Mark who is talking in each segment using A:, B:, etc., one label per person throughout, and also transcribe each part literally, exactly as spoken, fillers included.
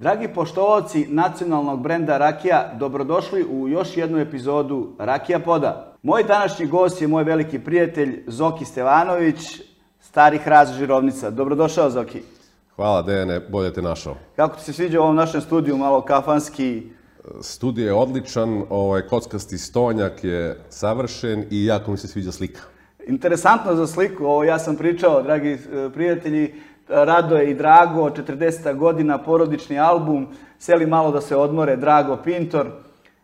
A: Dragi poštovaoci nacionalnog brenda Rakija, dobrodošli u još jednu epizodu Rakija Poda. Moj današnji gost je moj veliki prijatelj Zoki Stevanović, stari hrast Žirovnica. Dobrodošao, Zoki.
B: Hvala, Dejane, bolje te našao.
A: Kako ti se sviđa u ovom našem studiju, malo kafanski?
B: Studio je odličan, ovaj kockasti stonjak je savršen i jako mi se sviđa slika.
A: Interesantno za sliku, ovo ja sam pričao, dragi prijatelji, Rado je i Drago, četrdeseta godina, porodični album, seli malo da se odmore, Drago Pintor.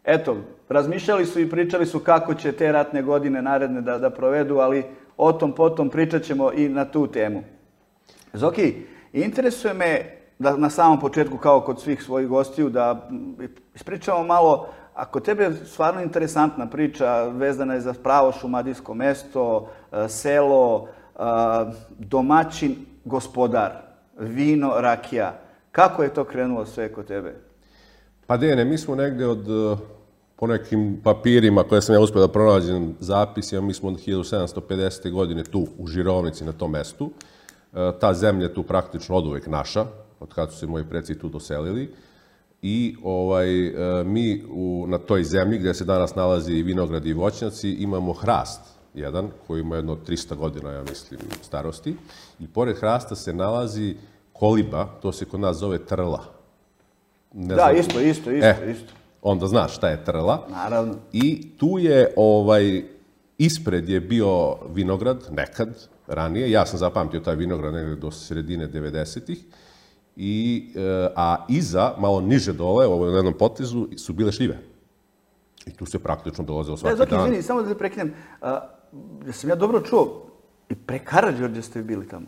A: Eto, razmišljali su i pričali su kako će te ratne godine naredne da, da provedu, ali o tom potom pričat ćemo i na tu temu. Zoki, interesuje me da na samom početku, kao kod svih svojih gostiju, da ispričamo malo, ako tebe je stvarno interesantna priča, vezana je za pravo šumadijsko mesto, selo, domaćin, gospodar, vino, rakija. Kako je to krenulo sve kod tebe?
B: Pa Dejane, mi smo negde od, po nekim papirima koje sam ja uspio da pronađem zapisima, mi smo od hiljadu sedamsto pedesete. godine tu u Žirovnici na tom mestu. Ta zemlja je tu praktično oduvek naša, od kada su se moji preci tu doselili. I ovaj, mi u, na toj zemlji gdje se danas nalazi i vinograd i voćnjaci imamo hrast jedan koji ima jedno trista godina, ja mislim, starosti. I pored hrasta se nalazi koliba, to se kod nas zove trla.
A: Ne da, znam, isto, isto, isto,
B: e,
A: isto.
B: Onda znaš šta je trla.
A: Naravno.
B: I tu je, ovaj, ispred je bio vinograd, nekad, ranije. Ja sam zapamtio taj vinograd negdje do sredine devedesetih. I, a iza, malo niže dole, ovo na jednom potezu, su bile šljive. I tu se praktično dolazilo svaki
A: Zoki,
B: dan.
A: Izvini, samo da te prekinem. Ja sam ja dobro čuo, i pre Karađorđa ste bili tamo?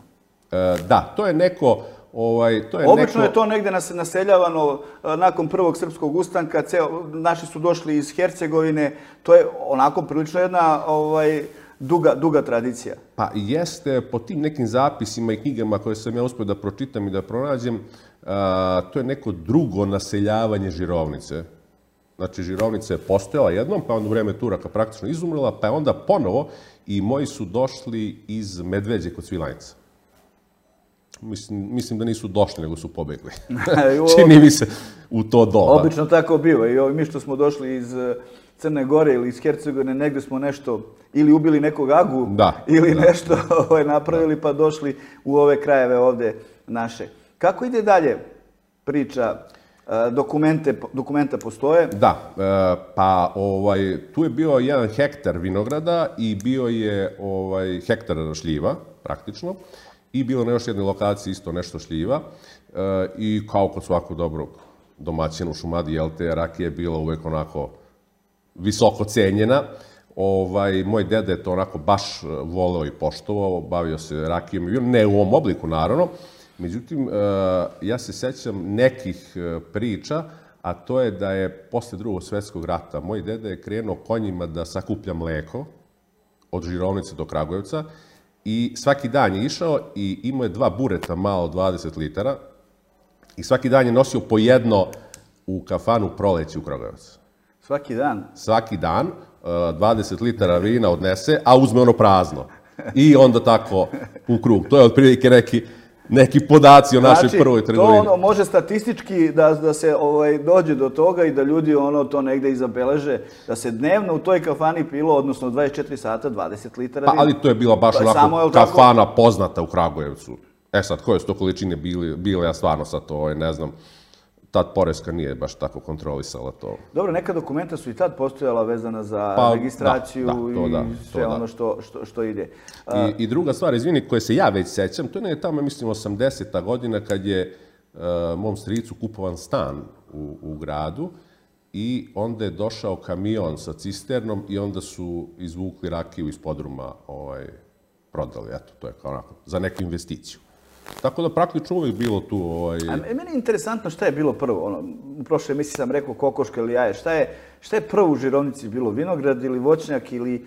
B: E, da, to je neko... Ovaj, to je
A: Obično
B: neko...
A: je to negde naseljavano nakon prvog srpskog ustanka, ceo, naši su došli iz Hercegovine, to je onako prilično jedna ovaj, duga, duga tradicija.
B: Pa jeste, po tim nekim zapisima i knjigama koje sam ja uspio da pročitam i da pronađem, a, to je neko drugo naseljavanje Žirovnice. Znači, Žirovnica je postojala jednom, pa onda u vreme Turaka praktično izumrla, pa je onda ponovo i moji su došli iz Medveđe kod Svilajnca. Mislim, mislim da nisu došli, nego su pobegli. Čini mi se u to doba.
A: Obično tako biva. I ovi mi što smo došli iz Crne Gore ili iz Hercegovine, negde smo nešto ili ubili nekog agu,
B: da,
A: ili
B: da.
A: nešto ovaj, napravili pa došli u ove krajeve ovde naše. Kako ide dalje priča? Dokumente, dokumenta postoje?
B: Da, pa ovaj, tu je bio jedan hektar vinograda i bio je ovaj, hektar šljiva, praktično. I bilo na još jednoj lokaciji isto nešto šljiva. I kao kod svakog dobrog domaćina u Šumadiji, jel te, rakija je bila uvek onako visoko cenjena. Ovaj, moj deda je to onako baš voleo i poštovao, bavio se rakijom i vinom, ne u ovom obliku, naravno. Međutim, ja se sećam nekih priča, a to je da je posle drugog svjetskog rata moj deda je krenuo konjima da sakuplja mleko od Žirovnice do Kragujevca i svaki dan je išao i imao je dva bureta malo dvadeset litara i svaki dan je nosio po jedno u kafanu Proleće u Kragujevac.
A: Svaki dan?
B: Svaki dan, dvadeset litara vina odnese, a uzme ono prazno. I onda tako u krug. To je otprilike neki neki podaci o našoj
A: znači,
B: prvoj trgovini.
A: To ono može statistički da, da se ovaj, dođe do toga i da ljudi ono to negde izabeleže, da se dnevno u toj kafani pilo, odnosno dvadeset četiri sata, dvadeset litara vina.
B: Pa, ali to je bila baš
A: pa,
B: onako
A: samo,
B: kafana
A: tako?
B: Poznata u Kragujevcu. E sad, koje su to količine bile, bile ja stvarno sad to, ovaj, ne znam, tad poreska nije baš tako kontrolisala to.
A: Dobro, neka dokumenta su i tad postojala vezana za
B: pa,
A: registraciju
B: da, da, to
A: i
B: da,
A: sve
B: to
A: ono
B: da.
A: što, što, što ide.
B: I, I druga stvar, izvini, koje se ja već sećam, to je tamo, mislim, osamdeseta godina kad je uh, mom stricu kupovan stan u, u gradu i onda je došao kamion sa cisternom i onda su izvukli rakiju iz podruma, ovaj, prodali, eto, to je kao onako, za neku investiciju. Tako da praktično uvijek bilo tu... Ovaj...
A: A meni je interesantno šta je bilo prvo. Ono, u prošle emisiji sam rekao kokoška ili jaje. Šta je, šta je prvo u Žirovnici bilo? Vinograd ili voćnjak ili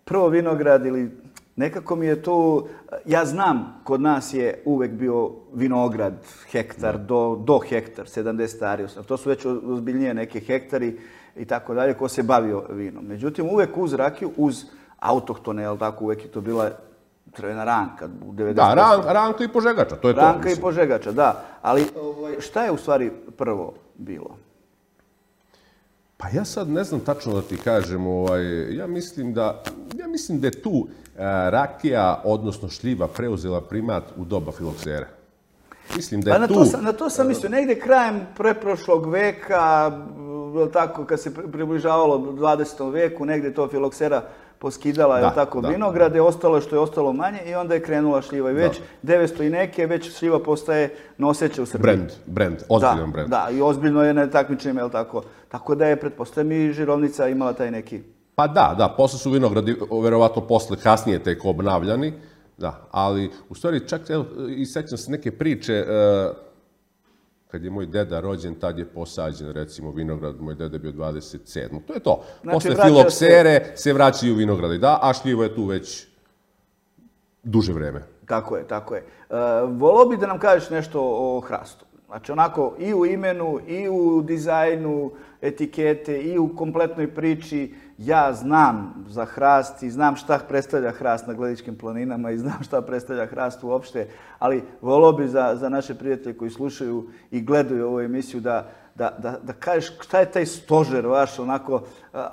A: prvo vinograd ili... Nekako mi je to... Ja znam, kod nas je uvek bio vinograd, hektar, do, do hektar, sedamdeset ari. To su već ozbiljnije neke hektari i tako dalje, ko se bavio vinom. Međutim, uvek uz rakiju, uz autohtone, jel tako, uvek je to bila Crvena ranka u devedeset posto.
B: Da, ran, ranka i požegača, to je to.
A: Ranka i požegača, da. Ali ovaj, šta je u stvari prvo bilo?
B: Pa ja sad ne znam tačno da ti kažem, ovaj, ja mislim da, ja mislim da je tu e, rakija, odnosno šljiva, preuzela primat u doba filoksere. Mislim da je
A: pa na
B: tu...
A: To sam, na to sam mislio, negde krajem preprošlog veka, tako, kad se približavalo dvadesetom veku, negde to filoksera poskidala, je tako, da, vinograde, ostalo je što je ostalo manje i onda je krenula šljiva. I već da. devetsto i neke, već šljiva postaje noseća u Srbiji.
B: Brand, brand, ozbiljan
A: da,
B: brand.
A: Da, i ozbiljno je na takmičenjima, je tako? Tako da je, pretpostavljam, i Žirovnica imala taj neki...
B: Pa da, da, posle su vinogradi, verovatno posle, kasnije tek obnavljani, da, ali u stvari čak, evo, i sećam se neke priče, uh, kad je moj deda rođen, tad je posađen, recimo, vinograd, moj deda je bio dvadeset sedam. To je to. Znači, posle filoksere se... se vraćaju vinogradi, da, a šljivo je tu već duže vreme.
A: Tako je, tako je. Uh, volao bi da nam kažeš nešto o hrastu. Znači, onako, i u imenu, i u dizajnu etikete, i u kompletnoj priči. Ja znam za hrast i znam šta predstavlja hrast na Gledičkim planinama i znam šta predstavlja hrast uopšte, ali volao bi za, za naše prijatelje koji slušaju i gledaju ovu emisiju da, da, da, da kažeš šta je taj stožer vaš, onako,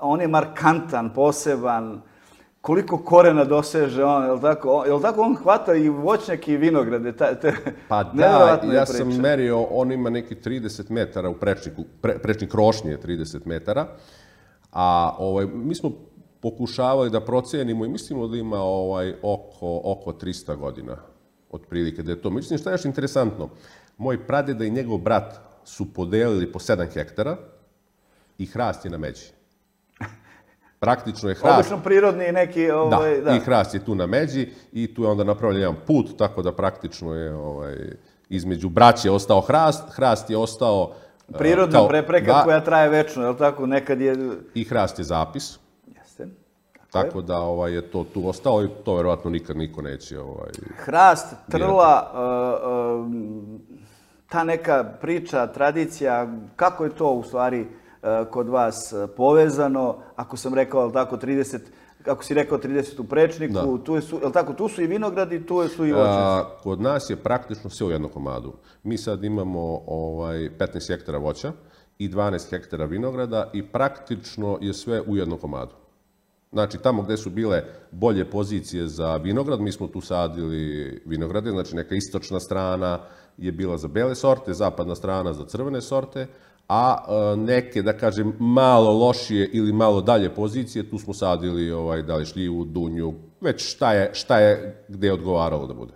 A: on je markantan, poseban, koliko korena doseže on, je li tako? Je li tako on hvata i voćnjake i vinograde? Te, te,
B: pa da, ja sam merio, on ima neki trideset metara u prečniku, pre, prečnik rošnje je trideset metara, a ovaj, mi smo pokušavali da procenimo i mislimo da ima ovaj, oko, oko trista godina, otprilike da je to. Mislim, šta je još interesantno, moj pradeda i njegov brat su podelili po sedam hektara i hrast je na međi. Praktično je hrast...
A: Obično prirodni neki... Ovaj,
B: da, da, i hrast je tu na međi i tu je onda napravljen jedan put, tako da praktično je ovaj, između braće ostao hrast, hrast je ostao...
A: Prirodna kao, prepreka da, koja traje večno, je li tako? Nekad je...
B: I hrast je zapis.
A: Jeste.
B: Tako, tako je. Da ovaj, je to tu ostalo i to verovatno nikad niko neće... Ovaj,
A: hrast, trla, uh, uh, ta neka priča, tradicija, kako je to u stvari... kod vas povezano, ako sam rekao, je li tako, trideset, ako si rekao trideset u prečniku, da. Tu, je su, je li tako, tu su i vinogradi, tu su i voćnjaci.
B: Kod nas je praktično sve u jednom komadu. Mi sad imamo ovaj, petnaest hektara voća i dvanaest hektara vinograda i praktično je sve u jednom komadu. Znači, tamo gde su bile bolje pozicije za vinograd, mi smo tu sadili vinograde, znači neka istočna strana je bila za bele sorte, zapadna strana za crvene sorte, a neke, da kažem, malo lošije ili malo dalje pozicije, tu smo sadili ovaj, da li šljivu, dunju, već šta je, šta je gde je odgovaralo da bude.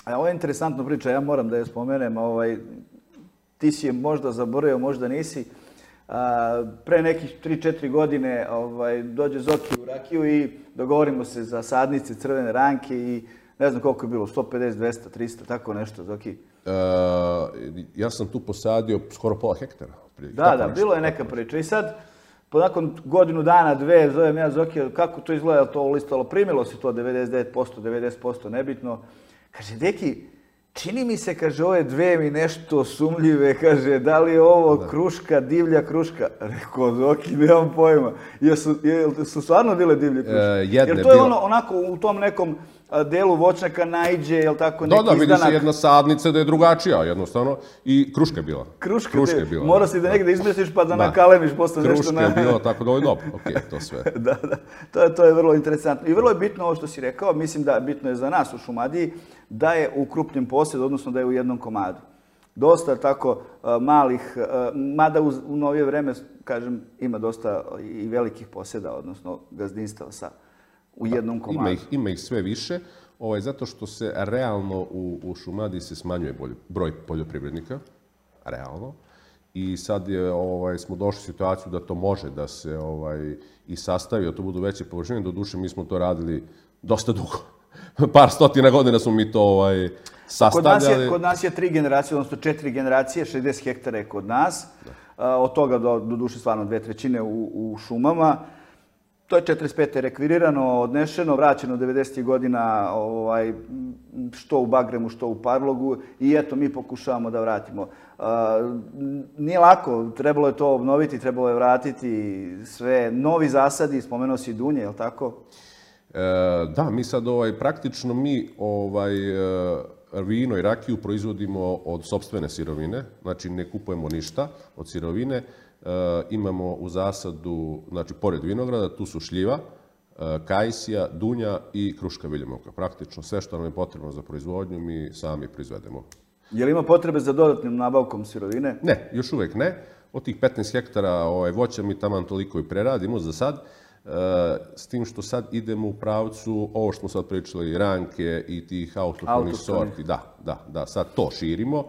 A: A ovo je interesantna priča, ja moram da je spomenem, ovaj, ti si je možda zaboravio, možda nisi. A, pre nekih tri četiri godine ovaj, dođe Zoki u rakiju i dogovorimo se za sadnice crvene ranke i ne znam koliko je bilo, sto pedeset, dvesta, trista, tako nešto, Zoki.
B: E, ja sam tu posadio skoro pola hektara.
A: Da, da, bilo je neka priča. I sad, nakon godinu dana, dve, zovem ja Zokija, kako to izgleda, to listalo, primilo se to devedeset devet posto, devedeset posto, nebitno. Kaže, deki, čini mi se, kaže, ove dve mi nešto sumljive, kaže, da li je ovo da. Kruška, divlja kruška? Rekao, Zoki, nemam pojma. Jesu, su stvarno bile divlje kruške? E, jer to je ono, onako u tom nekom delu voćnjaka naiđe, je li tako, neki izdanak?
B: Da, da, vidi se jedna sadnica da je drugačija, jednostavno, i kruška je bila.
A: Kruška, kruška je bila. Mora si da negde izmestiš pa da, da. nakalemiš posle nešto.
B: Kruška je bila, tako da ovo je dobro, okej, okay, to sve.
A: Da, da, to je, to je vrlo interesantno. I vrlo je bitno ovo što si rekao, mislim da bitno je za nas u Šumadiji, da je u krupnim posjedu, odnosno da je u jednom komadu. Dosta tako uh, malih, uh, mada u, u novije vreme, kažem, ima dosta i velikih posjeda, odnosno gazdinstava sa u jednom komadu.
B: Ima ih, ima ih sve više, ovaj, zato što se realno u, u Šumadiji se smanjuje bolj, broj poljoprivrednika, realno. I sad je, ovaj, smo došli u situaciju da to može da se ovaj, i sastavi, da to budu veće površine. Doduše, mi smo to radili dosta dugo. Par stotina godina smo mi to ovaj, sastavljali.
A: Kod nas, je, kod nas je tri generacije, odnosno četiri generacije, šezdeset hektara je kod nas. Da. Od toga do, do duše stvarno dve trećine u, u šumama. To je četrdeset pete rekvirirano, odnešeno, vraćeno devedesetih godina ovaj, što u Bagremu, što u Parlogu i eto, mi pokušavamo da vratimo. Uh, nije lako, trebalo je to obnoviti, trebalo je vratiti sve. Novi zasadi, spomenuo si dunje, je li tako?
B: Da, mi sad ovaj, praktično mi ovaj, vino i rakiju proizvodimo od sopstvene sirovine, znači ne kupujemo ništa od sirovine. Imamo u zasadu, znači pored vinograda, tu su šljiva, kajsija, dunja i kruška viljemovka. Praktično sve što nam je potrebno za proizvodnju mi sami proizvedemo.
A: Je li ima potrebe za dodatnim nabavkom sirovine?
B: Ne, još uvek ne. Od tih petnaest hektara ovaj, voća mi taman toliko i preradimo za sad. S tim što sad idemo u pravcu, ovo što smo sad pričali, ranke i tih autohtonih sorti, da, da, da, sad to širimo.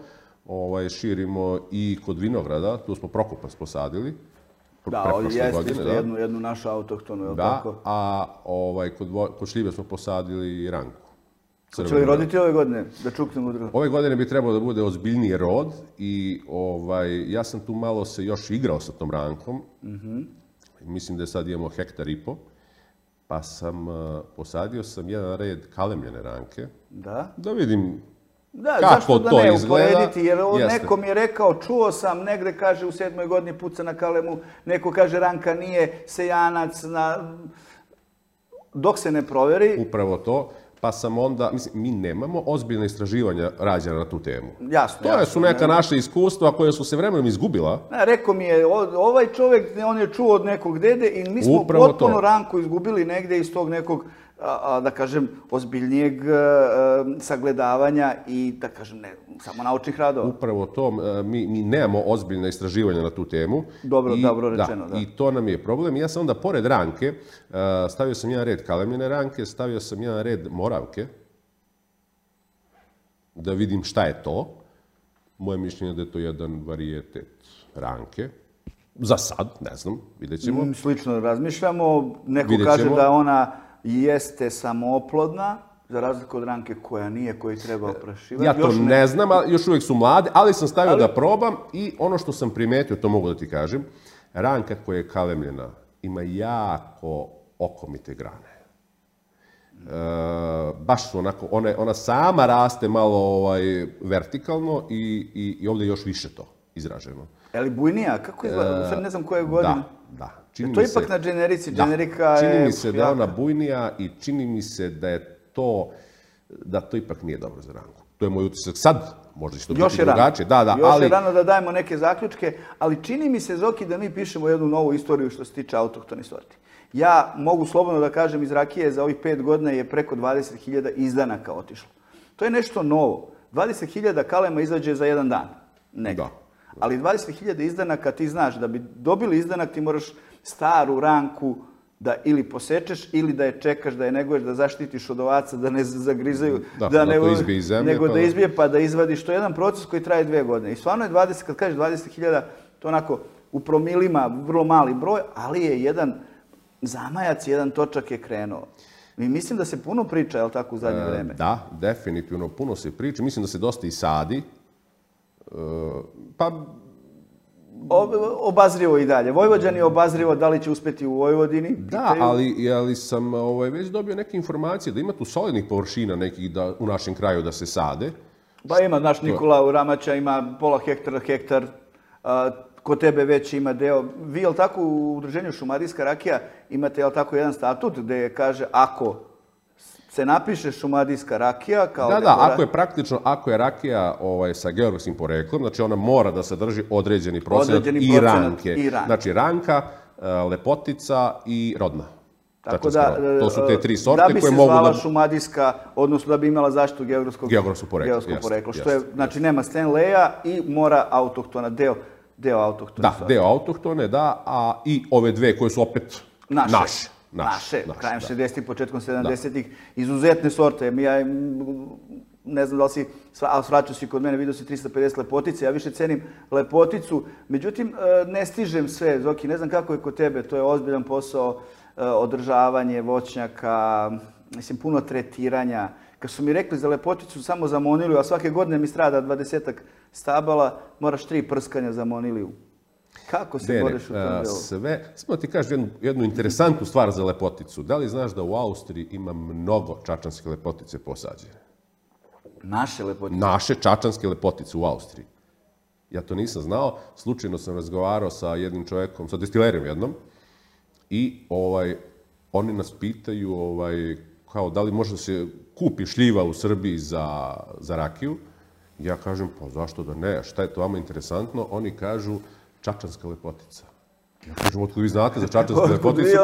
B: Ovaj, širimo i kod vinograda, tu smo Prokupac posadili.
A: Da, jeste isto jednu, jednu našu autohtonu, je li tako?
B: Da, a ovaj, kod, kod šljive smo posadili i ranku.
A: Hoće li roditi ove godine, da čuknemo drugo?
B: Ove godine bi trebalo da bude ozbiljniji rod i ovaj, ja sam tu malo se još igrao sa tom rankom. Mm-hmm. Mislim da sad imamo hektar i po, pa sam uh, posadio sam jedan red kalemljene ranke.
A: Da?
B: Da vidim
A: da,
B: kako
A: zašto da
B: to
A: ne
B: izgleda.
A: Uporediti, jer neko mi je rekao, čuo sam, negde kaže u sedmoj godini puca na kalemu, neko kaže ranka nije sejanac, na... dok se ne proveri.
B: Upravo to. Pa sam onda, mislim, mi nemamo ozbiljne istraživanja rađena na tu temu.
A: Jasno,
B: to
A: jasno.
B: su neka ne, naša iskustva koje su se vremenom izgubila.
A: Ne, rekao mi je, ovaj čovjek, on je čuo od nekog dede i mi smo upravo potpuno to. Ranku izgubili negde iz tog nekog, a, da kažem, ozbiljnijeg a, sagledavanja i, da kažem, ne, samo naučnih radova.
B: Upravo to, mi, mi nemamo ozbiljne istraživanja na tu temu.
A: Dobro,
B: I,
A: dobro rečeno, da,
B: da. I to nam je problem. Ja sam onda, pored ranke, stavio sam jedan red kalemljene ranke, stavio sam jedan red moravke, da vidim šta je to. Moje mišljenje je da je to jedan varijetet ranke. Za sad, ne znam, vidjet ćemo.
A: Slično razmišljamo. Neko kaže da ona jeste samooplodna, za razliku od ranke koja nije, koju treba oprašivati.
B: Ja to ne... ne znam, ali još uvijek su mlade, ali sam stavio ali... da probam i ono što sam primetio, to mogu da ti kažem, ranka koja je kalemljena ima jako okomite grane. E, baš su onako, ona, ona sama raste malo ovaj, vertikalno i, i, i ovdje još više to izraženo.
A: Je li bujnija? Kako izgleda? Sad ne znam koje godine.
B: Da, da.
A: Čini to je ipak se, na generici, generika
B: da, čini
A: je...
B: mi se da je ona bujnija i čini mi se da je to, da to ipak nije dobro za ranku. To je moj utisak. Sad možda će to
A: još
B: biti drugačije. Da, da,
A: još
B: ali...
A: je rano da dajemo neke zaključke, ali čini mi se, Zoki, da mi pišemo jednu novu istoriju što se tiče autohtonih sorti. Ja mogu slobodno da kažem, iz rakije za ovih pet godina je preko dvadeset hiljada izdanaka otišlo. To je nešto novo. dvadeset hiljada kalema izađe za jedan dan. Negdje. Da. Ali dvadeset hiljada izdanaka, ti znaš, da bi dobili izdanak ti moraš staru ranku da ili posečeš ili da je čekaš, da je neguješ, da zaštitiš od ovaca, da ne zagrizaju,
B: da,
A: da,
B: da
A: ne,
B: to izbije iz zemlje,
A: nego
B: pa...
A: da izbije pa da izvadiš. To je jedan proces koji traje dvije godine. I stvarno je dvadeset, kad kažeš dvadeset hiljada, to onako u promilima vrlo mali broj, ali je jedan zamajac, jedan točak je krenuo. I mislim da se puno priča, je li tako, u zadnje
B: e,
A: vreme?
B: Da, definitivno puno se priča. Mislim da se dosta i sadi. E, pa...
A: Obazrivo i dalje. Vojvođani je obazrivo da li će uspjeti u Vojvodini.
B: Da, ali, ali sam ovaj, već dobio neke informacije da ima tu solidnih površina nekih da, u našem kraju da se sade.
A: Pa ima, naš Nikola u Ramača ima pola hektara, hektar. A, kod tebe već ima deo. Vi, jel tako, u udruženju Šumadijska rakija imate, jel tako, jedan statut gdje kaže ako se napiše Šumadijska rakija kao...
B: Da, da, ako je praktično, ako je rakija ovaj, sa geografskim poreklom, znači ona mora da sadrži određeni procenat i ranke. I ranke. Znači ranka, lepotica i rodna.
A: Tako da,
B: to su te tri sorte
A: da bi
B: koje
A: se
B: mogu
A: zvala
B: da...
A: šumadijska, odnosno da bi imala zaštitu geografskog,
B: geografskog porekla.
A: Geografskog
B: jest,
A: porekla što
B: jest,
A: je, znači
B: jest.
A: nema Stanleya i mora autohtona, deo, deo autohtone.
B: Da, sorte. Deo autohtone, da, a i ove dve koje su opet
A: naše.
B: naše.
A: Naše, naše, krajem šezdesetih, početkom sedamdesetih, izuzetne sorte. Ja ne znam da li si, ali svraćao si kod mene, vidio si trista pedeset lepotice, ja više cenim lepoticu. Međutim, ne stižem sve, Zoki, ne znam kako je kod tebe, to je ozbiljan posao, održavanje voćnjaka, mislim, puno tretiranja. Kad su mi rekli za lepoticu samo za moniliju, a svake godine mi strada dvadesetak stabala, moraš tri prskanja za moniliju. Kako se
B: Dene,
A: boriš u tom delu?
B: Sve, samo ti kažem jednu, jednu interesantnu stvar za lepoticu. Da li znaš da u Austriji ima mnogo čačanske lepotice posađene?
A: Naše lepotice?
B: Naše čačanske lepotice u Austriji. Ja to nisam znao. Slučajno sam razgovarao sa jednim čovjekom, sa destilerijom jednom, i ovaj, oni nas pitaju ovaj, kao da li može da se kupi šljiva u Srbiji za, za rakiju. Ja kažem, pa zašto da ne, šta je to vama interesantno? Oni kažu, čačanska lepotica. Ja kažem, otkud vi znate za čačansku lepoticu?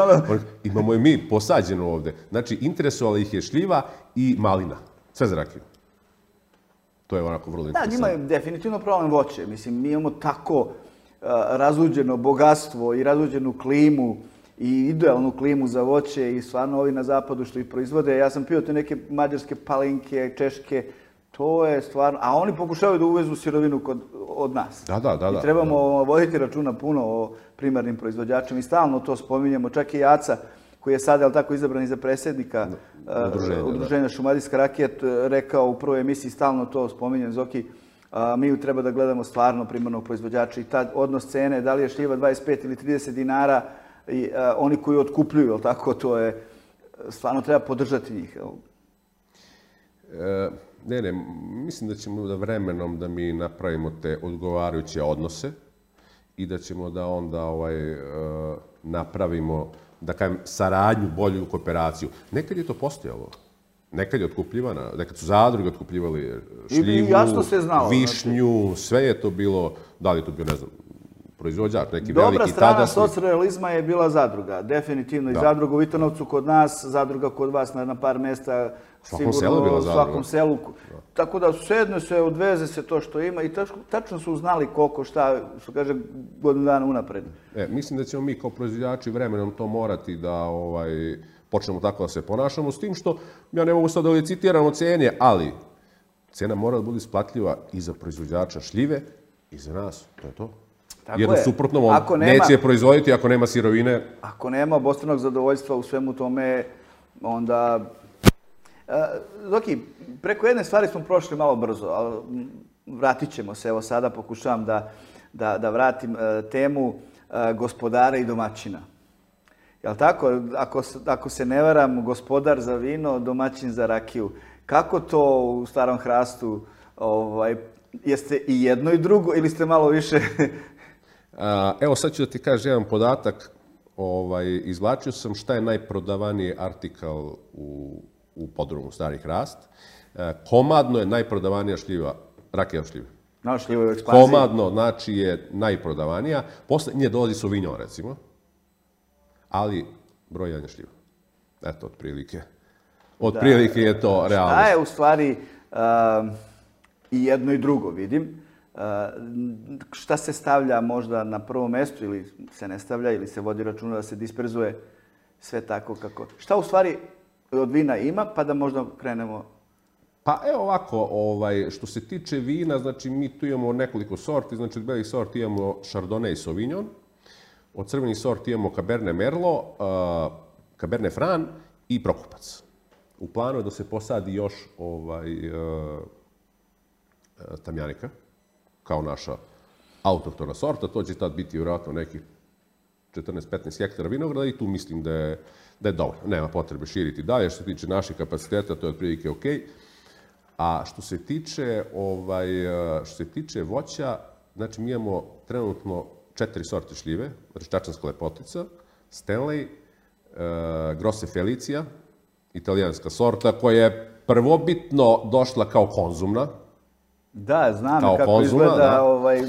B: Imamo je mi posađeno ovde. Znači, interesovala ih je šljiva i malina. Sve za rakiju. To je onako vrlo interesantno.
A: Da, njima je definitivno problem voće. Mislim, mi imamo tako razluđeno bogatstvo i razluđenu klimu i idealnu klimu za voće i stvarno ovi na zapadu što ih proizvode. Ja sam pio te neke mađarske palinke, češke, to je stvarno... A oni pokušavaju da uvezu sirovinu kod, od nas.
B: Da, da, da.
A: I trebamo da. voditi računa puno o primarnim proizvođačima i stalno to spominjemo. Čak i Jaca, koji je sad, ali tako, izabran i za predsjednika
B: Udruženja,
A: uh, Udruženja Šumadijska rakija, rekao u prvoj emisiji, stalno to spominjem, Zoki, uh, mi treba da gledamo stvarno primarnog proizvođača i taj odnos cene, da li je šljiva dvadeset pet ili trideset dinara, i uh, oni koji otkupljuju, ali tako, to je, stvarno treba podržati njih.
B: E, ne, ne, mislim da ćemo da vremenom da mi napravimo te odgovarajuće odnose i da ćemo da onda ovaj, uh, napravimo, da kažem, saradnju, bolju kooperaciju. Nekad je to postojalo. Nekad je otkupljivana, nekad su zadruge otkupljivali šljivu, višnju, sve je to bilo, da li je to bio, ne znam, proizvođač, neki
A: Dobra
B: veliki
A: strana
B: tadašnji.
A: socrealizma je bila zadruga, definitivno. Da. I zadruga u Vitanovcu kod nas, zadruga kod vas na, na par mesta,
B: svakom selu bila
A: u svakom selu. Da. Tako da sedne se, odveze se to što ima i tačno, tačno su znali koliko, šta, što kaže, godinu dana unapred.
B: E, mislim da ćemo mi kao proizvođači vremenom to morati da ovaj, počnemo tako da se ponašamo, s tim što, ja ne mogu sad da licitiramo cene, ali cena mora da bude isplatljiva i za proizvođača šljive i za nas, to je to.
A: Tako
B: Jedno
A: je.
B: suprotno, on
A: Ako nema,
B: neće je proizvoditi ako nema sirovine.
A: Ako nema obostranog zadovoljstva u svemu tome, onda... Zoki, preko jedne stvari smo prošli malo brzo, ali vratit ćemo se. Evo sada pokušavam da, da, da vratim temu gospodara i domaćina. Jel tako? Ako, ako se ne varam, gospodar za vino, domaćin za rakiju. Kako to u Starom Hrastu? Ovaj, jeste i jedno i drugo ili ste malo više...
B: Evo sad ću da ti kažem jedan podatak. Ovaj, izvlačio sam šta je najprodavaniji artikal u, u podrumu Stari Hrast. Komadno je najprodavanija šljiva, rakija šljive.
A: No, šljiva je u ekspanziji.
B: Komadno, znači, je najprodavanija. Posle nje dolazi Sauvignon, recimo. Ali broj jedan je šljiva. Eto, otprilike. Otprilike je to realno.
A: Šta je u stvari uh, i jedno i drugo, vidim. Uh, šta se stavlja možda na prvo mesto ili se ne stavlja ili se vodi računa da se disperzuje sve tako kako... Šta u stvari od vina ima pa da možda krenemo...
B: Pa evo ovako, ovaj, što se tiče vina, znači mi tu imamo nekoliko sorti, znači od belih sorti imamo Chardonnay i Sauvignon, od crvenih sorti imamo Cabernet Merlot, uh, Cabernet Franc i Prokupac. U planu je da se posadi još ovaj, uh, Tamjanika, kao naša autohtona sorta. To će tad biti vjerojatno nekih četrnaest petnaest hektara vinograda i tu mislim da je, da je dovoljno. Nema potrebe širiti dalje. Što se tiče naših kapaciteta, to je otprilike ok. A što se tiče, ovaj, što se tiče voća, znači mi imamo trenutno četiri sorte šljive, znači čačanska lepotica, Stanley, uh, Grosse Felicia, italijanska sorta, koja je prvobitno došla kao konzumna.
A: Da, znam
B: kao
A: kako
B: konzuma,
A: izgleda.
B: Da.
A: Ovaj...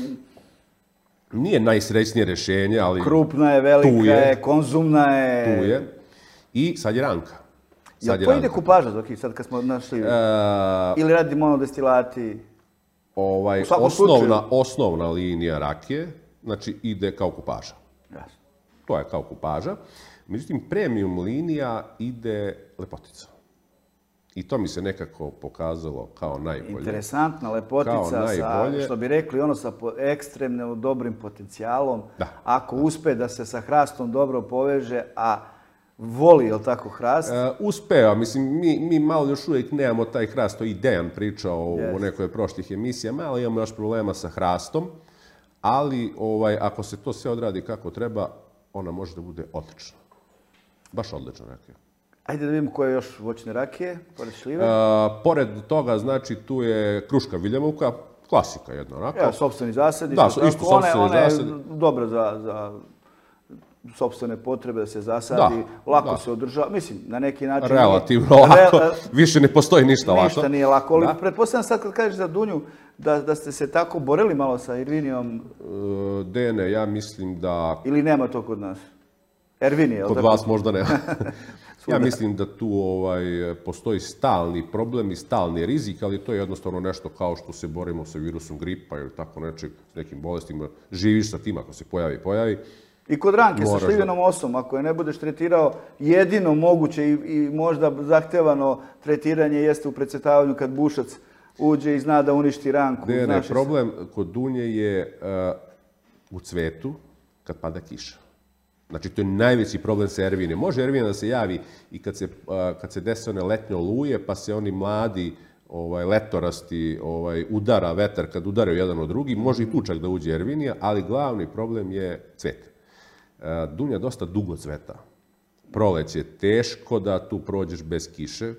B: Nije najsrećnije rješenje, ali...
A: Krupna je, velika je, je, konzumna je...
B: Tu je. I sad je ranka.
A: Sad Jel to ide kupaža, Zoki, sad kad smo našli? Uh, Ili radi monodestilati?
B: Ovaj, osnovna, osnovna linija rakije, znači ide kao kupaža.
A: Jasno.
B: To je kao kupaža. Međutim, premium linija ide lepotica. I to mi se nekako pokazalo kao najbolje.
A: Interesantna lepotica, sa, što bi rekli, ono sa ekstremno dobrim potencijalom.
B: Da.
A: Ako uspe da se sa hrastom dobro poveže, a voli, je li tako, hrast?
B: E, uspeva. Mislim, mi, mi malo još uvijek nemamo taj hrast. To je Dejan pričao yes. u nekoj prošlih emisija. Malo imamo još problema sa hrastom. Ali ovaj, ako se to sve odradi kako treba, ona može da bude odlična. Baš odlična rakija.
A: Ajde da vidimo koje još voćne rakije, pored šljive.
B: E, pored toga, znači, tu je kruška viljemovka, klasika jedna rakija.
A: Ja, sopstveni zasadi.
B: Da, isto sopstveni zasadi.
A: Ona je dobra za, za sopstvene potrebe da se zasadi, lako se održava, mislim, na neki način...
B: Relativno lako, više ne postoji ništa lako.
A: Ništa nije lako, ali pretpostavljam sad kad kažeš za Dunju, da ste se tako borili malo sa Ervinijom...
B: Dene, ja mislim da...
A: Ili nema to kod nas? Ervinije,
B: kod vas možda nema. Ja mislim da tu postoji stalni problem i stalni rizik, ali to je jednostavno nešto kao što se borimo sa virusom gripa ili tako nečeg, s nekim bolestima. Živiš sa tim ako se pojavi, pojavi.
A: I kod ranke sa šljivenom osom, ako je ne budeš tretirao, jedino moguće i možda zahtevano tretiranje jeste u precrtavanju kad bušac uđe i zna da uništi ranku.
B: Ne, ne, problem kod dunje je u cvetu kad pada kiša. Znači, to je najveći problem sa Ervine. Može Ervina da se javi i kad se dese one letnje oluje, pa se oni mladi letorasti udara vetar kad udaraju jedan od drugi. Može i tu čak da uđe Ervinija, ali glavni problem je cvet. Dunja dosta dugo cveta. Proleće je teško da tu prođeš bez kiše.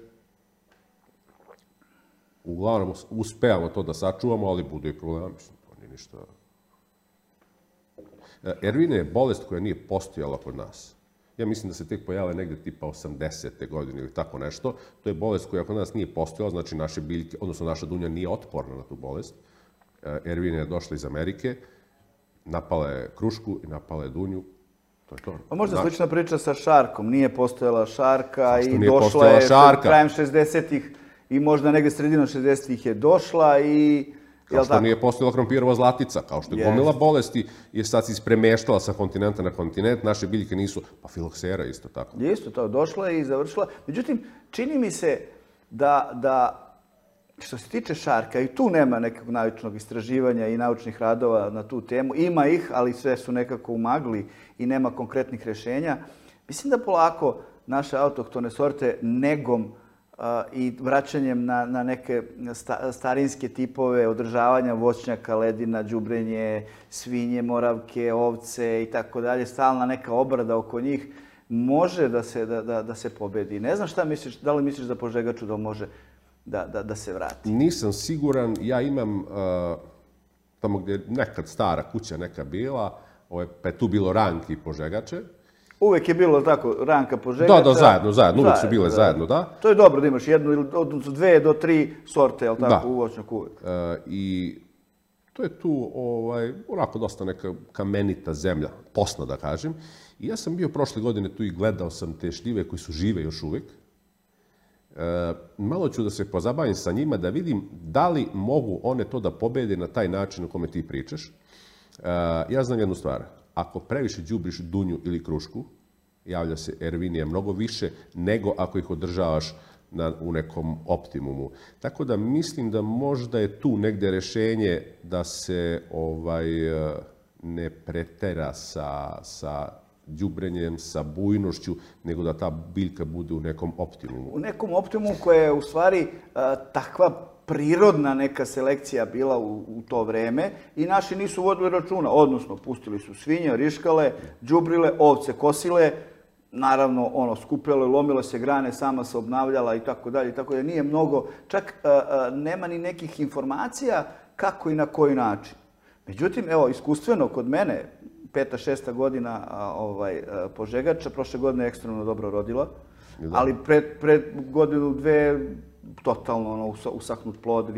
B: Uglavnom, uspevamo to da sačuvamo, ali bude i problema. Mislim, to nije ništa... Ervina je bolest koja nije postojala kod nas. Ja mislim da se tek pojavila negde tipa osamdesete godine ili tako nešto. To je bolest koja kod nas nije postojala, znači naše biljke, odnosno naša dunja nije otporna na tu bolest. Ervina je došla iz Amerike, napala je krušku i napala je dunju. To je to.
A: A možda slična priča sa šarkom. Nije postojala šarka i došla je krajem šezdesetih i možda negde sredinom šezdesetih je došla i...
B: Kao što nije postojala krompirova zlatica, kao što je gomila bolesti, jer sad se ispremeštala sa kontinenta na kontinent, naše biljke nisu, pa filoksera isto tako.
A: Isto to, došla je i završila. Međutim, čini mi se da, što se tiče šarka, i tu nema nekog naučnog istraživanja i naučnih radova na tu temu. Ima ih, ali sve su nekako u magli i nema konkretnih rješenja. Mislim da polako naše autohtone sorte negom i vraćanjem na neke starinske tipove održavanja voćnjaka, ledina, đubrenje, svinje, moravke, ovce i tako dalje, stalna neka obrada oko njih, može da se pobedi. Ne znam šta misliš, da li misliš da Požegaču da može da se vrati?
B: Nisam siguran, ja imam tamo gdje je nekad stara kuća neka bila, pa je tu bilo ranki i Požegače.
A: Uvijek je bilo tako, ranka Požegača.
B: Da, da, zajedno, zajedno, uvijek su bile zajedno, da.
A: To je dobro da imaš jednu, odnosno dve do tri sorte, jel tako, u voćnjaku uvijek.
B: I to je tu, onako, dosta neka kamenita zemlja, posna da kažem. I ja sam bio prošle godine tu i gledao sam te šljive koji su žive još uvijek. Malo ću da se pozabavim sa njima, da vidim da li mogu one to da pobede na taj način o kome ti pričaš. Ja znam jednu stvar. Ako previše đubriš dunju ili krušku, javlja se Ervinija mnogo više nego ako ih održavaš u nekom optimumu. Tako da mislim da možda je tu negde rešenje da se ne pretera sa đubrenjem, sa bujnošću, nego da ta biljka bude u nekom optimumu.
A: U nekom optimumu koja je u stvari takva prirodna neka selekcija bila u to vreme i naši nisu vodili računa, odnosno pustili su svinje, riškale, đubrile, ovce kosile, naravno ono skupljalo i lomilo se grane, sama se obnavljala i tako dalje, tako da nije mnogo, čak nema ni nekih informacija kako i na koji način. Međutim, evo, iskustveno kod mene, peta, šesta godina Požegača, prošle godine je ekstremno dobro rodila, ali pred godinu, dve, totalno usahnut plod,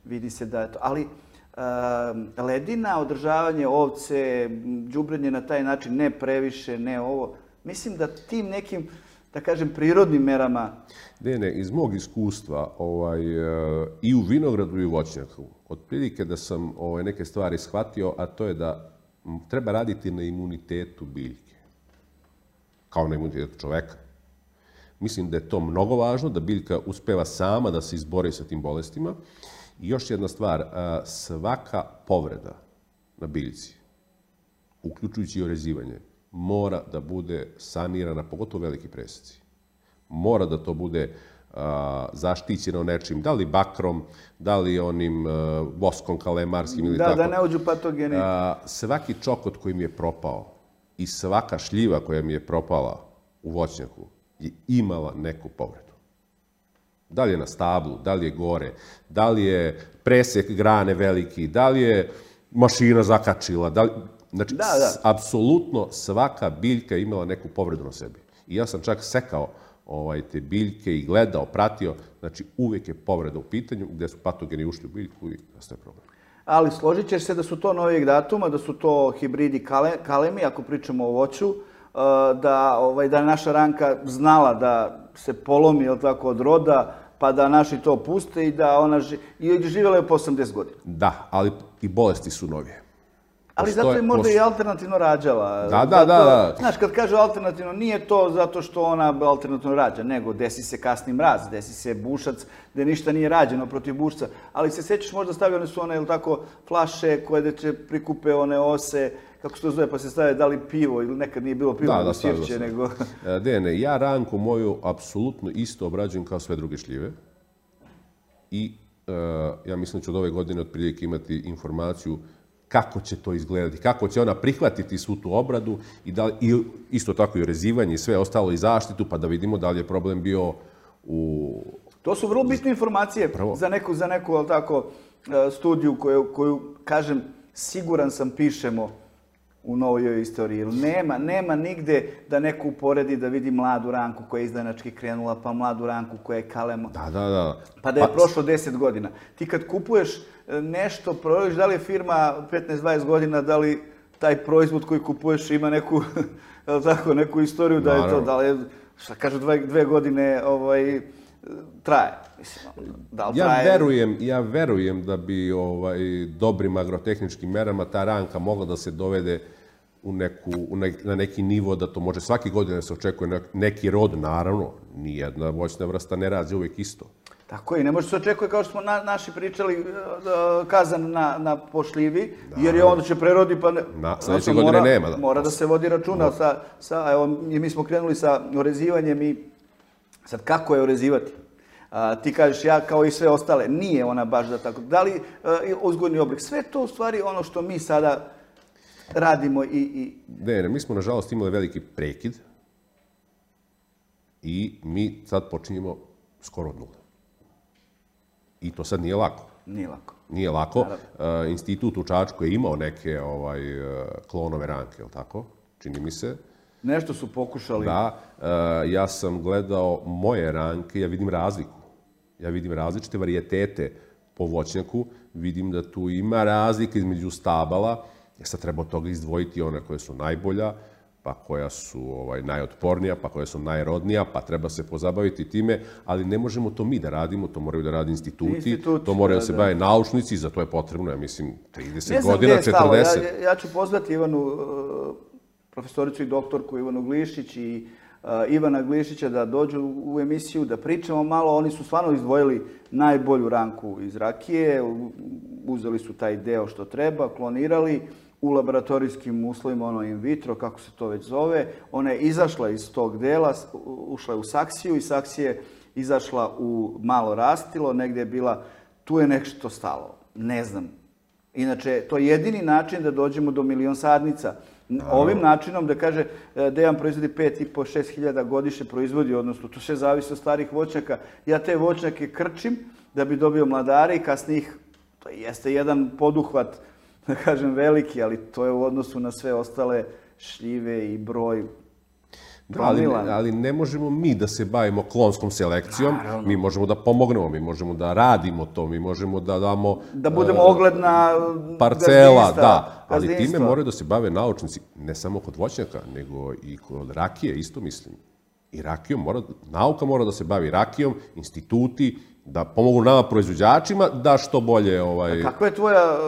A: vidi se da je to. Ali ledina, održavanje ovce, đubrenje na taj način, ne previše, ne ovo, mislim da tim nekim, da kažem, prirodnim merama...
B: Ne, ne, iz mog iskustva i u vinogradu i u voćnjaku, otprilike da sam neke stvari shvatio, a to je da treba raditi na imunitetu biljke, kao na imunitetu čoveka. Mislim da je to mnogo važno, da biljka uspeva sama da se izbori sa tim bolestima. I još jedna stvar, svaka povreda na biljci, uključujući i orezivanje, mora da bude sanirana, pogotovo veliki preseci. Mora da to bude zaštićeno nečim, da li bakrom, da li onim voskom kalemarskim ili tako.
A: Da, da ne uđu patogeni.
B: Svaki čokot koji mi je propao i svaka šljiva koja mi je propala u voćnjaku je imala neku povredu. Da li je na stablu, da li je gore, da li je presek grane veliki, da li je mašina zakačila, Znači,
A: Da, da.
B: apsolutno svaka biljka je imala neku povredu na sebi. I ja sam čak sekao ovaj, te biljke i gledao, pratio, znači uvijek je povreda u pitanju, gdje su patogeni ušli u biljku i nastaje problem.
A: Ali složit ćeš se da su to novijeg datuma, da su to hibridi kale, kalemi, ako pričamo o voću, da, ovaj, da je naša ranka znala da se polomi, jel tako, od roda, pa da naši to puste i da ona ži, i živjela je po osamdeset godina.
B: Da, ali i bolesti su novije.
A: Ali
B: Postoje,
A: zato je možda
B: postoje.
A: i alternativno rađala.
B: Da, da, da, da.
A: Znaš, kad kažu alternativno, nije to zato što ona alternativno rađa, nego desi se kasni mraz, desi se bušac, gdje ništa nije rađeno protiv bušca. Ali se sjećaš, možda stavljene su one, ili tako, flaše koje će prikupe one ose, kako se to zove, pa se stavlja da li pivo, ili nekad nije bilo pivo,
B: da, da,
A: sirće, nego...
B: Dene, ja ranku moju apsolutno isto obrađujem kao sve druge šljive. I uh, ja mislim da ću od ove godine otprilike imati informaciju kako će to izgledati, kako će ona prihvatiti svu tu obradu i, da, i isto tako i orezivanje i sve ostalo i zaštitu, pa da vidimo da li je problem bio u...
A: To su vrlo bitne informacije
B: Prvo.
A: za neku, za neku ali tako, studiju koju, koju, kažem, siguran sam pišemo u novoj istoriji. Nema, nema nigde da neko uporedi da vidi mladu ranku koja je izdanački krenula, pa mladu ranku koja je kalema.
B: Da, da, da.
A: Pa da je
B: pa...
A: prošlo deset godina. Ti kad kupuješ nešto, provjeriš da li je firma petnaest dvadeset godina, da li taj proizvod koji kupuješ ima neku, tako, neku istoriju, da je to, da li je, šta kažu, dve, dve godine ovaj, traje. Mislim, da li
B: ja,
A: traje...
B: verujem, ja verujem da bi ovaj, dobrim agrotehničkim merama ta ranka mogla da se dovede u neku, u ne, na neki nivo da to može svake godine da se očekuje neki rod, naravno, nijedna voćna vrsta ne rađe uvijek isto.
A: Tako je, ne može se očekuje kao što smo na, naši pričali kazan na, na pošljivi, da, jer je onda će prerodi pa... Ne,
B: na, sljedeće godine
A: mora,
B: nema. Da.
A: Mora da se vodi računa no. sa, sa, evo, mi smo krenuli sa orezivanjem i sad kako je orezivati? A, ti kažeš ja kao i sve ostale, nije ona baš da tako. Da li a, uzgojni oblik? Sve to u stvari ono što mi sada radimo i... i...
B: Ne, ne, mi smo nažalost imali veliki prekid i mi sad počinjemo skoro od nule. I to sad nije lako.
A: Nije lako.
B: Nije lako. Uh, institut u Čačku je imao neke ovaj, klonove ranke, je li tako? Čini mi se.
A: Nešto su pokušali.
B: Da. Uh, ja sam gledao moje ranke, ja vidim razliku. Ja vidim različite varijetete po voćnjaku. Vidim da tu ima razlika između stabala. Ja sad treba od toga izdvojiti one koje su najbolja, pa koja su ovaj, najotpornija, pa koja su najrodnija, pa treba se pozabaviti time, ali ne možemo to mi da radimo, to moraju da radi instituti, Institut, to moraju da se bave naučnici, za to je potrebno, ja mislim, trideset godina, četrdeset.
A: Ja, ja ću pozvati Ivanu, profesoricu i doktorku Ivanu Glišić i uh, Ivana Glišića da dođu u emisiju, da pričamo malo. Oni su stvarno izdvojili najbolju ranku iz rakije, uzeli su taj deo što treba, klonirali, u laboratorijskim uslovima, ono in vitro, kako se to već zove. Ona je izašla iz tog dela, ušla je u saksiju i saksije izašla u malo rastilo, negdje je bila, tu je nešto stalo, ne znam. Inače, to je jedini način da dođemo do milion sadnica. Ovim načinom da kaže Dejan proizvodi pet i po šest hiljada godišnje proizvodi, odnosno to sve zavisi od starih voćnjaka. Ja te voćnjake krčim da bi dobio mladare i kasnije ih, to jeste jedan poduhvat, da kažem veliki, ali to je u odnosu na sve ostale šljive i broj.
B: Da, ali, ali ne možemo mi da se bavimo klonskom selekcijom, naravno. Mi možemo da pomognemo, mi možemo da radimo to, mi možemo da damo...
A: Da budemo uh, ogledna
B: parcela,
A: gazdinstva,
B: da, ali
A: gazdinstva.
B: Time moraju da se bave naučnici, ne samo kod voćnjaka, nego i kod rakije, isto mislim. I rakijom mora, nauka mora da se bavi rakijom, instituti, da pomogu nama proizvođačima, da što bolje... Ovaj...
A: A kako je tvoja,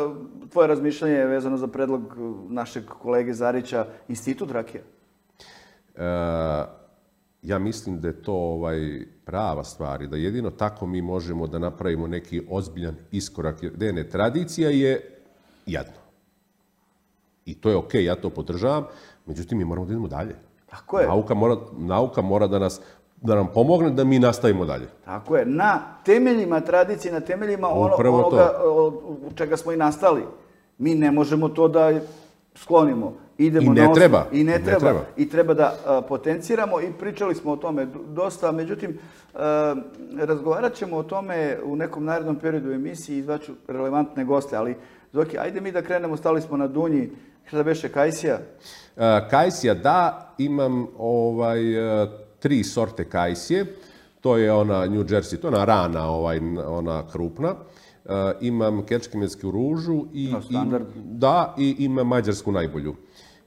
A: tvoje razmišljanje vezano za predlog našeg kolege Zarića, institut rakija?
B: E, ja mislim da je to ovaj, prava stvar i da jedino tako mi možemo da napravimo neki ozbiljan iskorak. Jer ne, tradicija je jedno. I to je okej, okay, ja to podržavam, međutim mi moramo da idemo dalje.
A: Tako je.
B: Nauka mora, nauka mora da, nas, da nam pomogne da mi nastavimo dalje.
A: Tako je. Na temeljima tradicije, na temeljima ono, onoga u čega smo i nastali. Mi ne možemo to da sklonimo. Idemo
B: I ne
A: na
B: treba.
A: I ne,
B: ne
A: treba.
B: treba.
A: I treba da uh, potenciramo i pričali smo o tome dosta. Međutim, uh, razgovarat ćemo o tome u nekom narednom periodu u emisiji i izvaću relevantne goste. Ali, Zoki, ajde mi da krenemo, stali smo na Dunji. Šta da beše, kajsija?
B: Kajsija, da, imam ovaj, tri sorte kajsije. To je ona New Jersey, to je ona rana, ovaj, ona krupna. Imam kečkemensku ružu i,
A: no, standard.
B: i, da, i imam mađarsku najbolju.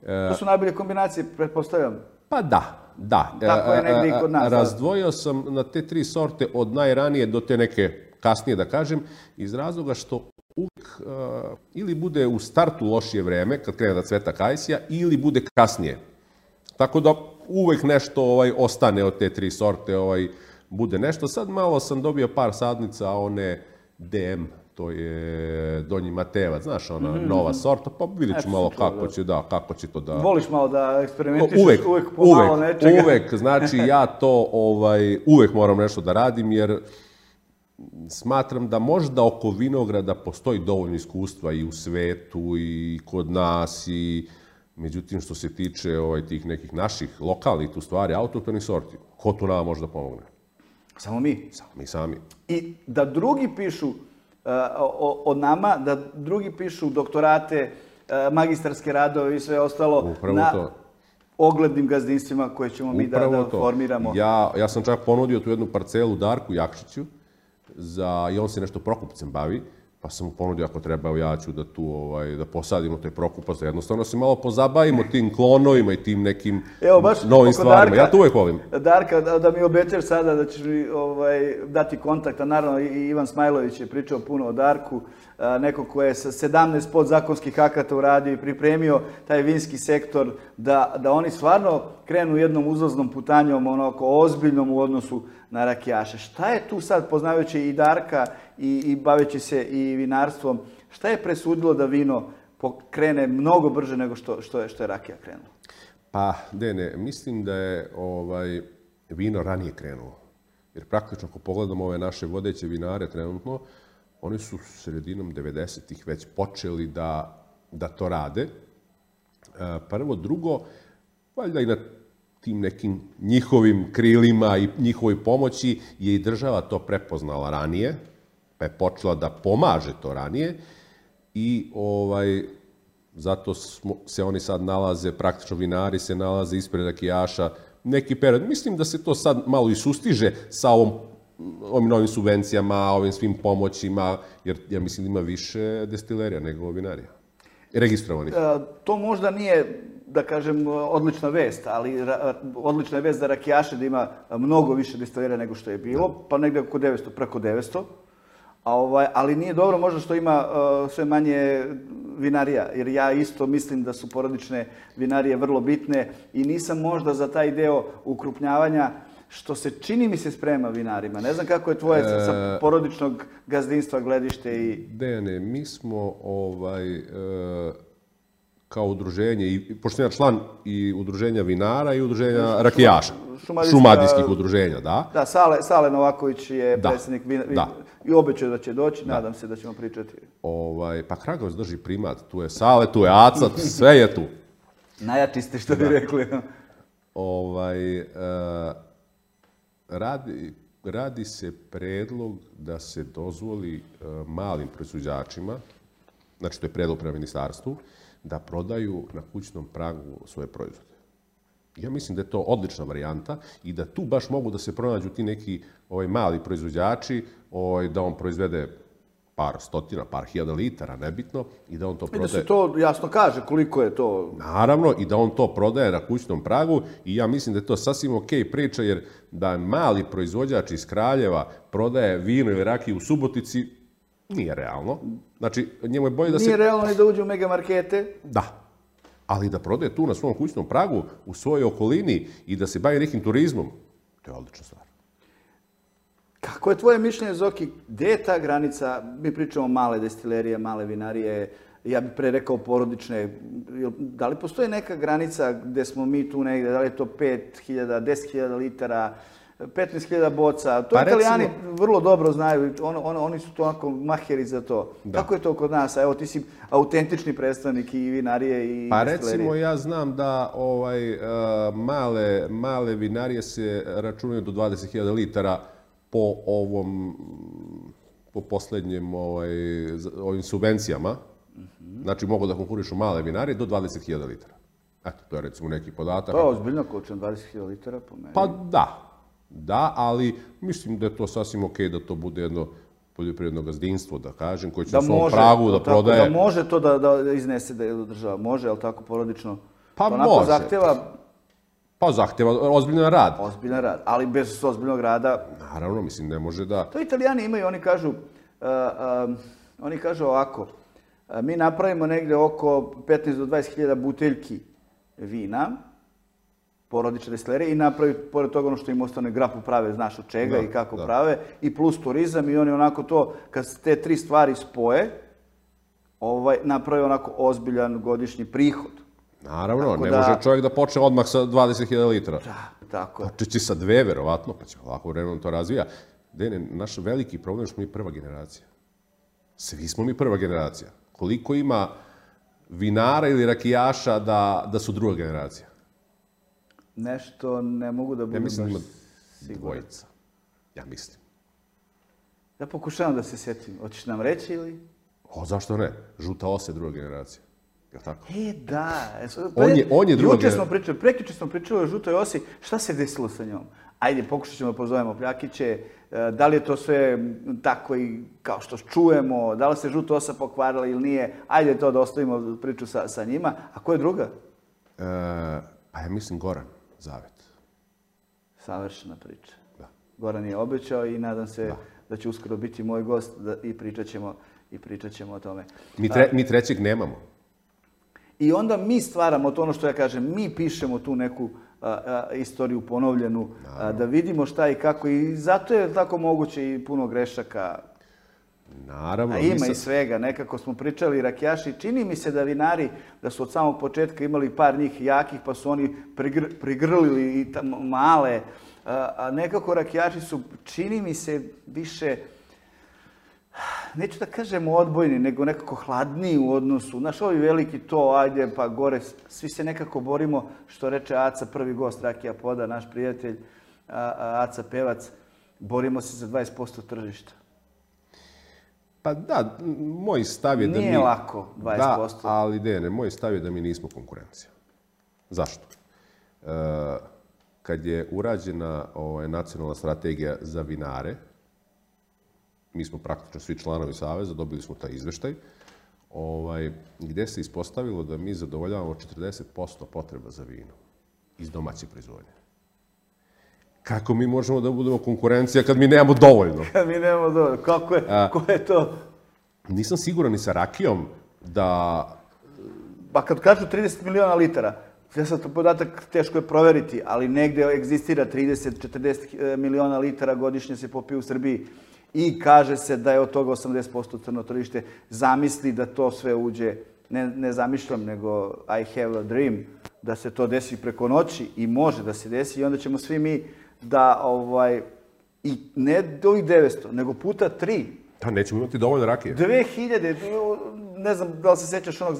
A: To su najbolje kombinacije, pretpostavljam.
B: Pa da, da.
A: Tako je negdje i kod nas.
B: Razdvojio sam na te tri sorte od najranije do te neke kasnije, da kažem, iz razloga što uvijek uh, ili bude u startu lošije vreme, kad krene da cveta kajsija, ili bude kasnije. Tako da uvijek nešto ovaj, ostane od te tri sorte, ovaj, bude nešto. Sad malo sam dobio par sadnica, one D M, to je Donji Matejevac, znaš, ona mm-hmm. nova sorta, pa vidjet ću malo kako da. će, da, kako će to da...
A: Voliš malo da eksperimentišeš
B: uvek,
A: uvek pomalo
B: uvek,
A: nečega?
B: Uvek, znači ja to ovaj, uvek moram nešto da radim, jer smatram da možda oko vinograda postoji dovoljno iskustva i u svetu i kod nas, i međutim što se tiče ovaj, tih nekih naših lokalnih tu stvari, autohtonih sorti, ko tu nama može da pomogne?
A: Samo mi.
B: Samo mi sami.
A: I da drugi pišu uh, o, o nama, da drugi pišu doktorate, uh, magistarske radove i sve ostalo
B: Upravo
A: na
B: to.
A: oglednim gazdinstvima koje ćemo mi da, da formiramo.
B: Ja, ja sam čak ponudio tu jednu parcelu Darku Jakšiću, za, i on se nešto prokupcem bavi, pa sam mu ponudio ako treba, ja ću da tu ovaj, da posadimo taj prokupac, jednostavno se malo pozabavimo tim klonovima i tim nekim
A: Evo, baš
B: novim stvarima.
A: Darka,
B: ja to uvijek volim.
A: Darka, da, da mi obećaš sada da ćeš mi ovaj, dati kontakt, a naravno i Ivan Smajlović je pričao puno o Darku, a, neko ko je sa sedamnaest podzakonskih akata uradio i pripremio taj vinski sektor, da, da oni stvarno krenu jednom uzlaznom putanjom, onako ozbiljnom u odnosu na rakijaše. Šta je tu sad, poznavajući i Darka i, i baveći se i vinarstvom, šta je presudilo da vino krene mnogo brže nego što, što, je, što je rakija krenula?
B: Pa, Dene, mislim da je ovaj, vino ranije krenulo. Jer praktično, ako pogledamo ove naše vodeće vinare trenutno, oni su sredinom devedesetih već počeli da, da to rade. Prvo, drugo, valjda i na tim nekim njihovim krilima i njihovoj pomoći je i država to prepoznala ranije, pa je počela da pomaže to ranije i ovaj, zato smo, se oni sad nalaze, praktično vinari se nalaze ispred rakijaša neki period. Mislim da se to sad malo i sustiže sa ovom, ovim novim subvencijama, ovim svim pomoćima, jer ja mislim da ima više destilerija nego vinarija. Registrovanih.
A: E, to možda nije, da kažem, odlična vest, ali ra, odlična je vest za rakijaše da ima mnogo više destilerija nego što je bilo, pa negdje oko devetsto, preko devetsto. A ovaj, ali nije dobro možda što ima uh, sve manje vinarija, jer ja isto mislim da su porodične vinarije vrlo bitne i nisam možda za taj deo ukrupnjavanja, što se čini mi se sprema vinarima. Ne znam kako je tvoje e... sa porodičnog gazdinstva gledište i...
B: Dejane, mi smo ovaj, e, kao udruženje, i, pošto ja član i udruženja vinara i udruženja rakijaša, šumadijskih udruženja, da.
A: Da, Sale, Sale Novaković je
B: da.
A: predsjednik vina,
B: da.
A: i obećao da će doći,
B: da.
A: Nadam se da ćemo pričati.
B: Ovaj, pa Kragovac drži primat, tu je Sale, tu je Aca, sve je tu.
A: Najjači ste, što bi rekli.
B: Ovaj, e, radi, radi se predlog da se dozvoli e, malim proizvođačima, znači to je predlog prema ministarstvu, da prodaju na kućnom pragu svoje proizvode. Ja mislim da je to odlična varijanta i da tu baš mogu da se pronađu ti neki ovaj, mali proizvođači, ovaj, da on proizvede par stotina, par hiljada litara, nebitno, i da on to prodaje...
A: I da se to jasno kaže koliko je to...
B: Naravno, i da on to prodaje na kućnom pragu i ja mislim da je to sasvim okej priča, jer da mali proizvođač iz Kraljeva prodaje vino ili rakiju u Subotici, nije realno. Znači, njemu je bolje da se...
A: Nije realno ni da uđe u megamarkete.
B: Da. Ali da prodaje tu na svom kućnom pragu, u svojoj okolini i da se bavi nekim turizmom, to je odlična stvar.
A: Kako je tvoje mišljenje, Zoki, gdje je ta granica? Mi pričamo male destilerije, male vinarije, ja bih pre rekao porodične. Da li postoji neka granica gdje smo mi tu negdje, da li je to pet hiljada, deset hiljada litara, petnaest hiljada boca? To pa Italijani recimo... vrlo dobro znaju, on, on, oni su to onako maheri za to. Da. Kako je to kod nas? Evo, ti si autentični predstavnik i vinarije i
B: pa
A: destilerije.
B: Recimo, ja znam da ovaj, uh, male, male vinarije se računaju do dvadeset hiljada litara po ovom, po posljednjem ovaj, ovim subvencijama. Mm-hmm. znači mogu da konkurišu male vinarije do dvadeset hiljada litara. Eto, to je recimo neki podatak.
A: To je ozbiljna količina, dvadeset hiljada litara po meni.
B: Pa da, da, ali mislim da je to sasvim okej da to bude jedno poljoprivredno gazdinstvo, da kažem, koje će na svom pragu da prodaje.
A: Da može to da iznese da je država. Može, ali tako porodično?
B: Pa može.
A: Zahteva...
B: Pa zahteva ozbiljan rad.
A: Ozbiljan rad, ali bez ozbiljnog rada...
B: Naravno, mislim, ne može da...
A: To Italijani imaju, oni kažu, oni kažu ovako, mi napravimo negde oko petnaest do dvadeset hiljada buteljki vina, porodične destilerije, i napravi, pored toga ono što im ostane, grapu prave, znaš od čega i kako prave, i plus turizam, i oni onako to, kad se te tri stvari spoje, naprave onako ozbiljan godišnji prihod.
B: Naravno, ne može čovjek da počne odmah sa dvadeset hiljada litara.
A: Da, tako je.
B: Počeći sa dve, verovatno, pa će ovako vremenom to razvija. Dene, naš veliki problem je što smo mi prva generacija. Svi smo mi prva generacija. Koliko ima vinara ili rakijaša da su druga generacija?
A: Nešto ne mogu da budem baš siguran.
B: Ja mislim da ima dvojica. Ja mislim.
A: Ja pokušavam da se sjetim. Hoćeš nam reći ili?
B: O, zašto ne? Žuta osa je druga generacija. Je li tako?
A: E, da.
B: On je druga
A: generacija. Smo pričali, prekjuče smo pričali o žutoj osi. Šta se desilo sa njom? Ajde, pokušat ćemo da pozovemo Pljakiće. Da li je to sve tako i kao što čujemo? Da li se žuta osa pokvarila ili nije? Ajde to da ostavimo priču sa njima. A ko je druga?
B: Pa ja mislim Goran Zavet.
A: Savršena priča. Goran je obećao i nadam se da će uskoro biti moj gost i pričat ćemo i pričat ćemo o tome.
B: Mi trećeg nemamo.
A: I onda mi stvaramo to, ono što ja kažem, mi pišemo tu neku istoriju ponovljenu, da vidimo šta i kako, i zato je tako moguće i puno grešaka.
B: Naravno.
A: A ima i svega, nekako smo pričali rakijaši, čini mi se da vinari, da su od samog početka imali par njih jakih, pa su oni prigrlili i male, a nekako rakijaši su, čini mi se, više, neću da kažem odbojni, nego nekako hladniji u odnosu. Znaš, ovi veliki to, ajde pa gore, svi se nekako borimo, što reče Aca, prvi gost Rakija Poda, naš prijatelj, Aca Pevac, borimo se za dvadeset posto tržišta.
B: Pa da, moj stav je da mi...
A: Nije lako, dvadeset posto.
B: Da, ali ne, moj stav je da mi nismo konkurencija. Zašto? Kad je urađena nacionalna strategija za vinare, mi smo praktično svi članovi Saveza, dobili smo taj izveštaj, gde se ispostavilo da mi zadovoljavamo četrdeset posto potreba za vino iz domaće proizvodnje. Kako mi možemo da budemo konkurencija kad mi nemamo dovoljno?
A: Kad mi nemamo dovoljno. Kako je? Ko je to?
B: Nisam siguran ni sa rakijom da...
A: Pa kad kažu trideset miliona litara, ja sam to podatak teško je proveriti, ali negde egzistira trideset do četrdeset miliona litara godišnje se popije u Srbiji i kaže se da je od toga osamdeset posto crno tržište. Zamisli da to sve uđe, ne zamišljam, nego I have a dream, da se to desi preko noći i može da se desi i onda ćemo svi mi da, i ne do ovih devetsto, nego puta tri.
B: Da, nećemo imati dovoljno rakije.
A: dve hiljade, ne znam da li se sećaš onog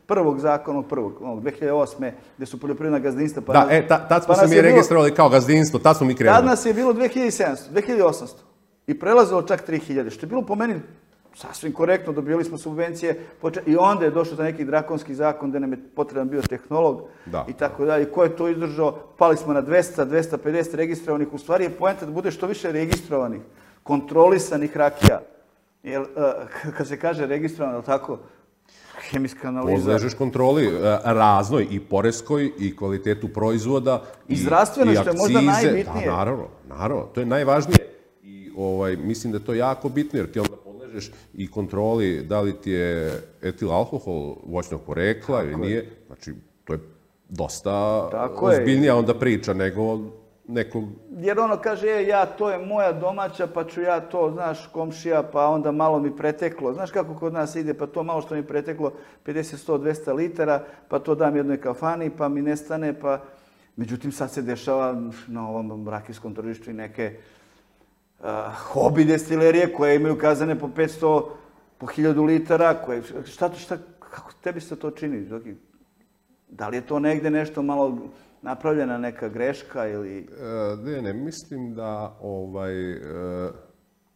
A: prvog zakona, prvog, dve hiljade osme, gde su poljoprivredna gazdinstva.
B: Da, e, tad smo se mi registrovali kao gazdinstvo, tad smo mi krenuli.
A: Tad nas je bilo dve hiljade sedamsto, dve hiljade osamsto i prelazilo čak tri hiljade, što je bilo po meni sasvim korektno, dobili smo subvencije i onda je došao za neki drakonski zakon gde nam je potreban bio tehnolog i tako dalje. Ko je to izdržao? Pali smo na dvesta, dvesta pedeset registrovanih. U stvari je poenta da bude što više registrovanih, kontrolisanih rakija. Kad se kaže registrovano, tako, hemijska analiza...
B: Podležeš kontroli raznoj i poreskoj i kvalitetu proizvoda
A: i zdravstveno, što je možda najbitnije.
B: Naravno, naravno, to je najvažnije. Mislim da je to jako bitno, jer ti onda podležeš i kontroli da li ti je etil alkohol voćnog porekla ili nije. Znači, to je dosta ozbiljnija onda priča nego nekog...
A: Jer ono kaže, e, ja, to je moja domaća, pa ću ja to, znaš, komšija, pa onda malo mi preteklo. Znaš kako kod nas ide, pa to malo što mi preteklo, pedeset, sto, dvesta litara, pa to dam jednoj kafani, pa mi nestane, pa... Međutim, sad se dešava na ovom rakijskom tržištu i neke hobi destilerije koje imaju kazane po petsto, po hiljadu litara, koje, šta to, šta, kako tebi se to čini? Da li je to negde nešto malo napravljena neka greška ili...
B: Ne, ne, mislim da, ovaj,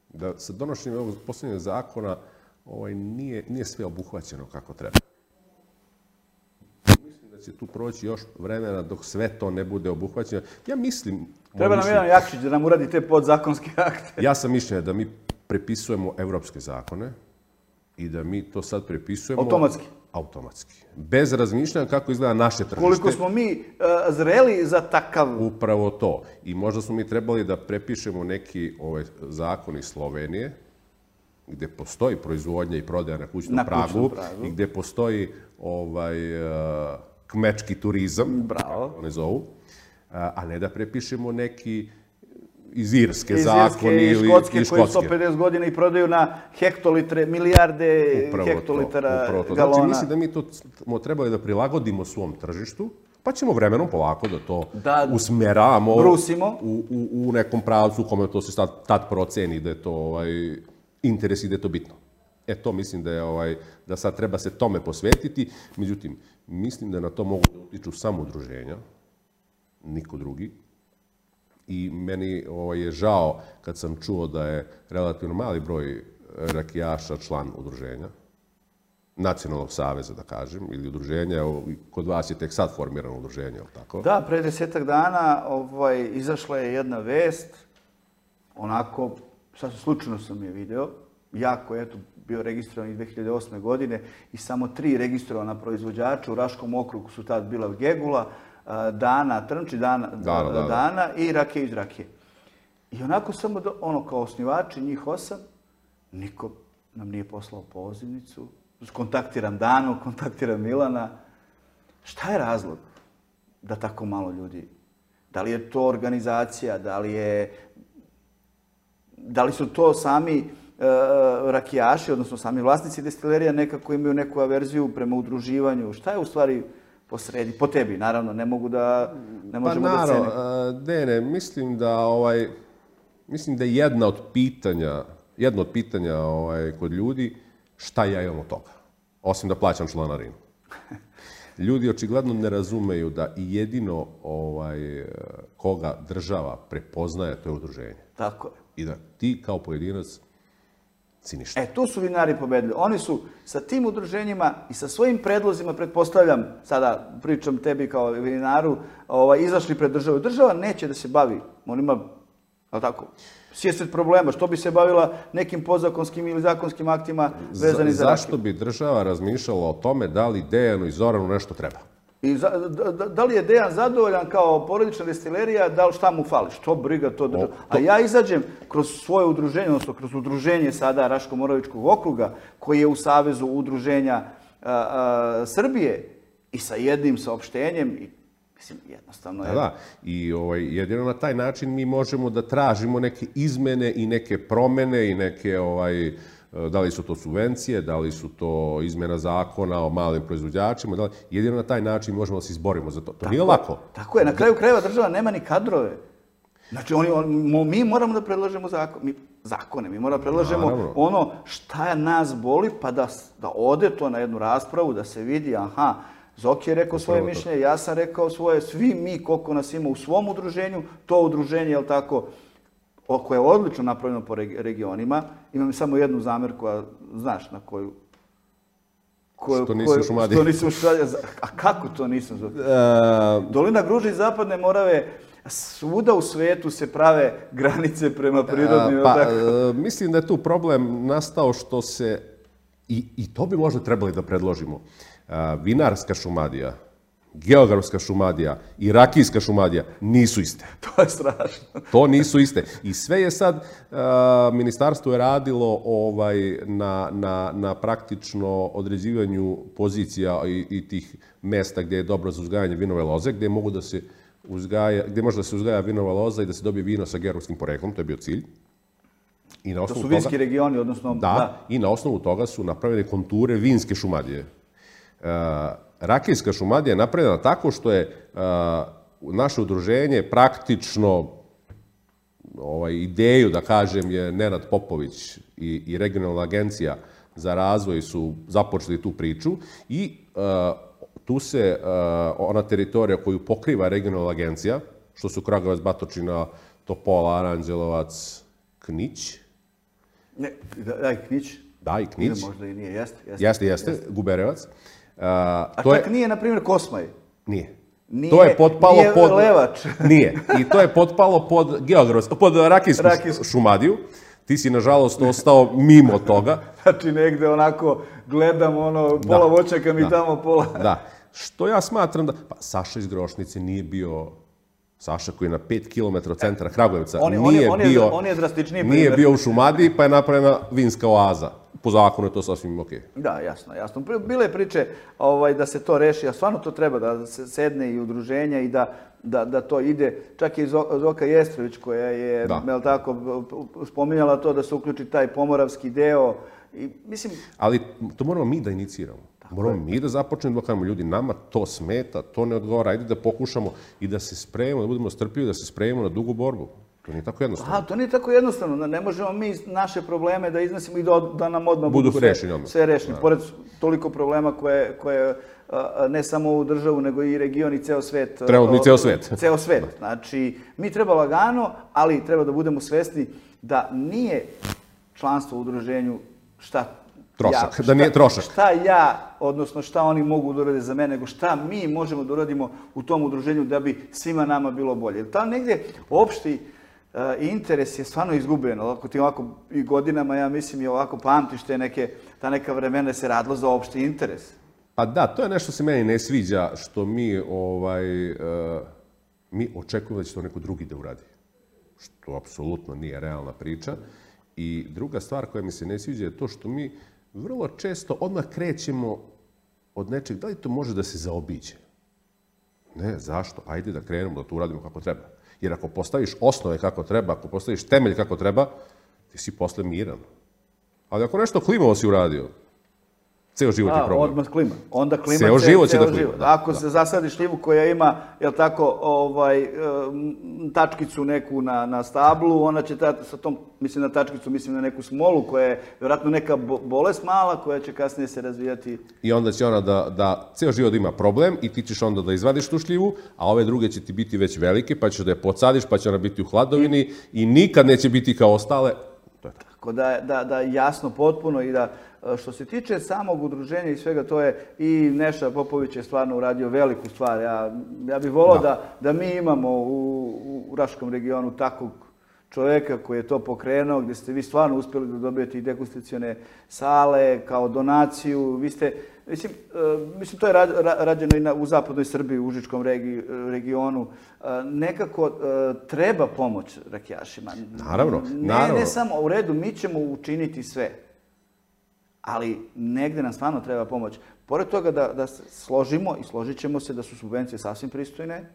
B: da sa donošenjem ovog posljednjeg zakona ovaj, nije, nije sve obuhvaćeno kako treba. Mislim da će tu proći još vremena dok sve to ne bude obuhvaćeno. Ja mislim...
A: Treba nam jedan Jakšić da nam uradi te podzakonske akte.
B: Ja sam mišljenja da mi prepisujemo evropske zakone i da mi to sad prepisujemo...
A: Automatski.
B: Automatski. Bez razmišljanja kako izgleda naše tržište.
A: Koliko smo mi uh, zreli za takav...
B: Upravo to. I možda smo mi trebali da prepišemo neki ovaj, zakon iz Slovenije, gde postoji proizvodnja i prodaja na kućnom
A: na
B: pragu,
A: kućnom pragu
B: i gde postoji ovaj, uh, kmečki turizam,
A: bravo,
B: kako ne zovu, uh, a ne da prepišemo neki iz Irske
A: iz
B: zakon
A: Irske,
B: ili
A: Škotske,
B: i Škotske.
A: koji sto pedeset godina i prodaju na hektolitre, milijarde
B: upravo
A: hektolitara
B: to, to.
A: galona.
B: Znači, mislim da mi to smo trebali da prilagodimo svom tržištu, pa ćemo vremenom polako da to
A: da
B: usmeravamo
A: brusimo
B: u, u, u nekom pravcu u kome to se tad, tad proceni da je to ovaj, interes i da je to bitno. E to mislim da je ovaj, da sad treba se tome posvetiti. Međutim, mislim da na to mogu da utiču samo udruženja, niko drugi. I meni ovaj, je žao kad sam čuo da je relativno mali broj rakijaša član udruženja, Nacionalnog saveza, da kažem, ili udruženja, kod vas je tek sad formirano udruženje, je li tako?
A: Da, pre desetak dana ovaj, izašla je jedna vest, onako, sad slučajno sam je video, ja koji je eto, bio registrovan iz dve hiljade osme. godine i samo tri registrovana proizvođača u Raškom okrugu su tad bila Gegula, Dana, Trnči, Dana,
B: Dana, da,
A: Dana i Rakije iz Rakije. I onako samo, do, ono, kao osnivači, njih osam, niko nam nije poslao pozivnicu. Kontaktiram Danu, kontaktiram Milana. Šta je razlog da tako malo ljudi? Da li je to organizacija, da li je... Da li su to sami e, rakijaši, odnosno sami vlasnici destilerija, nekako imaju neku averziju prema udruživanju? Šta je u stvari posredi? Po tebi, naravno, ne mogu da... Ne možemo
B: pa naravno,
A: da cene.
B: Dene, mislim da, ovaj, mislim da je jedna od pitanja, jedno od pitanja ovaj, kod ljudi, šta ja imam od toga, osim da plaćam članarinu. Ljudi očigledno ne razumeju da i jedino ovaj, koga država prepoznaje, to je udruženje.
A: Tako je.
B: I da ti kao pojedinac si ništa.
A: E, tu su vinari pobedili. Oni su sa tim udruženjima i sa svojim predlozima, pretpostavljam, sada pričam tebi kao vinaru, ovaj, izašli pred državu. Država neće da se bavi, on ima, ali tako, svjesred problema. Što bi se bavila nekim podzakonskim ili zakonskim aktima vezani za, za
B: zašto bi država razmišljala o tome da li Dejanu i Zoranu nešto treba?
A: I za, da, da li je Dejan zadovoljan kao porodična destilerija, da li šta mu fali? Što briga to država? A ja izađem kroz svoje udruženje, odnosno kroz udruženje sada Raško-Moravičkog okruga, koji je u Savezu udruženja a, a, Srbije i sa jednim saopštenjem, i mislim, jednostavno je...
B: Da, da. I ovaj, jedino na taj način mi možemo da tražimo neke izmene i neke promene i neke, ovaj, da li su to subvencije, da li su to izmena zakona o malim proizvođačima, da li, jedino na taj način možemo da se izborimo za to. To tako, nije lako.
A: Tako je, na kraju krajeva država nema ni kadrove. Znači, oni, on, mi moramo da predlažemo zakon, mi, zakone, mi moramo da predlažemo
B: Naravno.
A: ono šta nas boli, pa da, da ode to na jednu raspravu, da se vidi, aha, Zoki je rekao svoje mišljenje, ja sam rekao svoje, svi mi koliko nas ima u svom udruženju, to udruženje, jel tako, koje je odlično napravljeno po regionima. Imam samo jednu zamerku, a znaš na koju...
B: koju što nisam Šumadija.
A: Što nisam Šumadija. A kako to nisam? Uh... Dolina Gruže i Zapadne Morave, svuda u svetu se prave granice prema prirodnim...
B: Uh, pa, uh, mislim da je tu problem nastao što se, i, i to bi možda trebali da predložimo, uh, vinarska Šumadija, geografska Šumadija i rakijska Šumadija nisu iste.
A: To je strašno.
B: To nisu iste. I sve je sad, uh, ministarstvo je radilo ovaj, na, na, na praktično određivanju pozicija i, i tih mesta gdje je dobro za uzgajanje vinove loze, gdje mogu da se uzgaja, gdje može da se uzgaja vinova loza i da se dobije vino sa geografskim poreklom, to je bio cilj. I na
A: to su vinski toga, regioni, odnosno...
B: Da, da, i na osnovu toga su napravljene konture vinske Šumadije. Uh, Rakijska Šumadija je napravljena tako što je uh, naše udruženje praktično ovaj, ideju, da kažem, je Nenad Popović i, i regionalna agencija za razvoj su započeli tu priču i uh, tu se uh, ona teritorija koju pokriva regionalna agencija, što su Kragujevac, Batočina, Topola, Aranđelovac, Knić.
A: Ne, daj, Knić.
B: Da, i Knić.
A: Ili možda i nije, jeste.
B: Jeste, jeste, Guberevac.
A: A čak nije, na primjer, Kosmaj.
B: Nije.
A: Nije,
B: to je potpalo
A: nije
B: pod...
A: Levač.
B: Nije. I to je potpalo pod geografsku, pod rakijsku, rakijsku šumadiju. Ti si, nažalost, ostao mimo toga.
A: Znači, negde onako gledam, ono, pola da, voćaka mi da, tamo, pola...
B: Da. Što ja smatram da... Pa, Saša iz Grošnice nije bio... Saša koji je na pet kilometara od centra Kragujevca
A: on,
B: nije
A: on,
B: bio...
A: On je drastičniji
B: primjer. Nije bio u Šumadiji, pa je napravljena vinska oaza. Po zakonu je to sasvim okej.
A: Okay. Da, jasno, jasno. Bile priče ovaj, da se to reši, a stvarno to treba, da se sedne i udruženja i da, da, da to ide. Čak je i Zoka Jestrović koja je, jel tako, spominjala to da se uključi taj pomoravski deo. I, mislim...
B: Ali to moramo mi da iniciramo. Tako moramo je. mi da započnemo da kažemo, ljudi, nama to smeta, to ne odgovara, ajde da pokušamo i da se spremimo, da budemo strpljivi, da se spremimo na dugu borbu. To nije tako jednostavno.
A: A, to nije tako jednostavno. Ne možemo mi naše probleme da iznosimo i da, da nam odmah budu,
B: budu rešeni, odmah.
A: sve rešeni. Da. Pored toliko problema koje, koje ne samo ovu državu, nego i region i ceo svet.
B: Trebamo i ceo svet.
A: Ceo svet. Znači, mi treba lagano, ali treba da budemo svesni da nije članstvo u udruženju šta
B: trošak,
A: ja, šta,
B: da nije trošak.
A: Šta ja, odnosno šta oni mogu da urade za mene, nego šta mi možemo da uradimo u tom udruženju da bi svima nama bilo bolje. Jer tamo negdje opšti uh, interes je stvarno izgubljen. Ovako ti ovako i godinama, ja mislim, i ovako pamtiš te neke, ta neka vremena se radilo za opšti interes.
B: Pa da, to je nešto se meni ne sviđa, što mi, ovaj, uh, mi očekujemo da će to neko drugi da uradi. Što apsolutno nije realna priča. I druga stvar koja mi se ne sviđa je to što mi vrlo često odmah krećemo od nečeg, da li to može da se zaobiđe? Ne, zašto? Ajde da krenemo, da to uradimo kako treba. Jer ako postaviš osnove kako treba, ako postaviš temelj kako treba, ti si posle miran. Ali ako nešto klimovo si uradio, ceo život je problem.
A: Odmah klima. Onda klima
B: ceo život će da klima.
A: Ako se zasadi šljivu koja ima, jel tako, ovaj, tačkicu neku na, na stablu, ona će ta, sa tom, mislim na tačkicu, mislim na neku smolu koja je vjerojatno neka bolest mala koja će kasnije se razvijati.
B: I onda će ona da, da ceo život ima problem i ti ćeš onda da izvadiš tu šljivu, a ove druge će ti biti već velike, pa ćeš da je podsadiš, pa će ona biti u hladovini i, i nikad neće biti kao ostale. To je
A: tako da, da, da jasno potpuno i da što se tiče samog udruženja i svega, to je i Neša Popović je stvarno uradio veliku stvar. Ja, ja bih volao da. Da, da mi imamo u, u Raškom regionu takvog čovjeka koji je to pokrenuo, gdje ste vi stvarno uspjeli da dobijete i degustacione sale kao donaciju. Vi ste, mislim, mislim to je rađeno i na, u zapadnoj Srbiji, u Užičkom regi, regionu. Nekako treba pomoć rakijašima.
B: Naravno,
A: ne,
B: naravno.
A: Ne samo u redu, mi ćemo učiniti sve. Ali negde nam stvarno treba pomoć. Pored toga da, da se složimo i složit ćemo se da su subvencije sasvim pristojne.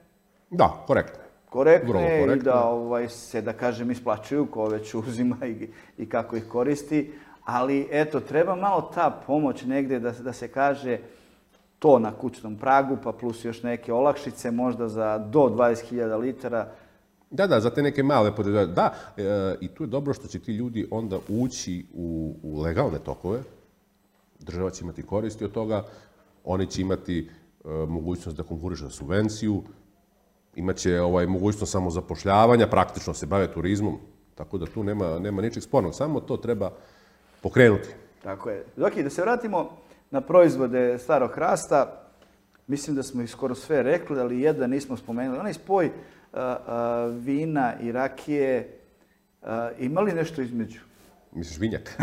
B: Da, korektne.
A: Korektne i da ovaj, se, da kažem, isplaćuju ko već uzima i, i kako ih koristi. Ali eto, treba malo ta pomoć negde da, da se kaže to na kućnom pragu, pa plus još neke olakšice, možda za do dvadeset hiljada litara.
B: Da, da, za te neke male podržave. Da, e, i tu je dobro što će ti ljudi onda ući u, u legalne tokove. Država će imati koristi od toga, oni će imati e, mogućnost da konkurišu za subvenciju, imaće ovaj, mogućnost samozapošljavanja, praktično se bave turizmom, tako da tu nema, nema ničeg spornog, samo to treba pokrenuti.
A: Tako je. Zoki, da se vratimo na proizvode starog hrasta, mislim da smo ih skoro sve rekli, ali jedan nismo spomenuli. Onaj spoj a, a, vina i rakije, a, ima li nešto između?
B: Misliš vinjak?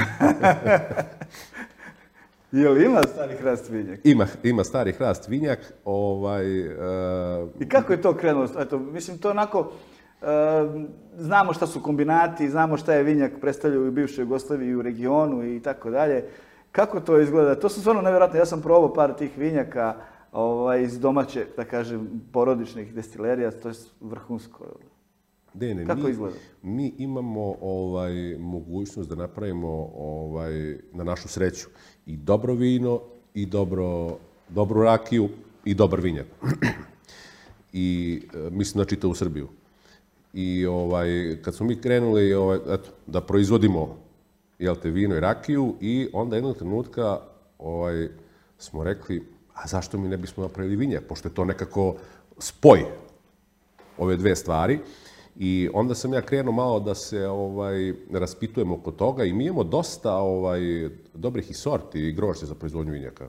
A: Je li ima stari hrast vinjak?
B: Ima, ima stari hrast vinjak. Ovaj, uh...
A: I kako je to krenulo? Eto, mislim, to onako, uh, znamo šta su kombinati, znamo šta je vinjak predstavljaju u bivšoj Jugoslaviji i u regionu i tako dalje. Kako to izgleda? To su stvarno nevjerojatno. Ja sam probao par tih vinjaka ovaj, iz domaće, da kažem, porodičnih destilerija, to je vrhunsko.
B: Dene,
A: kako
B: mi,
A: izgleda?
B: Mi imamo ovaj, mogućnost da napravimo ovaj, na našu sreću i dobro vino, i dobro, dobru rakiju, i dobar vinjak. I e, mislim da čita u Srbiju. I ovaj, kad smo mi krenuli ovaj, eto, da proizvodimo jel te, vino i rakiju, i onda jednog trenutka ovaj, smo rekli, a zašto mi ne bismo napravili vinjak, pošto je to nekako spoj ove dve stvari. I onda sam ja krenuo malo da se ovaj, raspitujem oko toga i mi imamo dosta ovaj, dobrih i sorti i grožđa za proizvodnju vinjaka.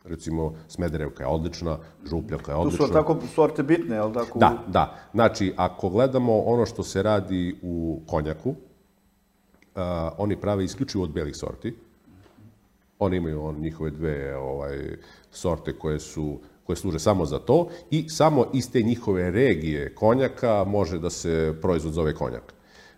B: Recimo, Smederevka je odlična, Župljanka je odlična.
A: Tu su tako sorte bitne, je li tako?
B: Da, da. Znači, ako gledamo ono što se radi u konjaku, uh, oni prave isključivo od belih sorti. Oni imaju on, njihove dve ovaj, sorte koje su koje služe samo za to i samo iz te njihove regije konjaka može da se proizvod zove konjak.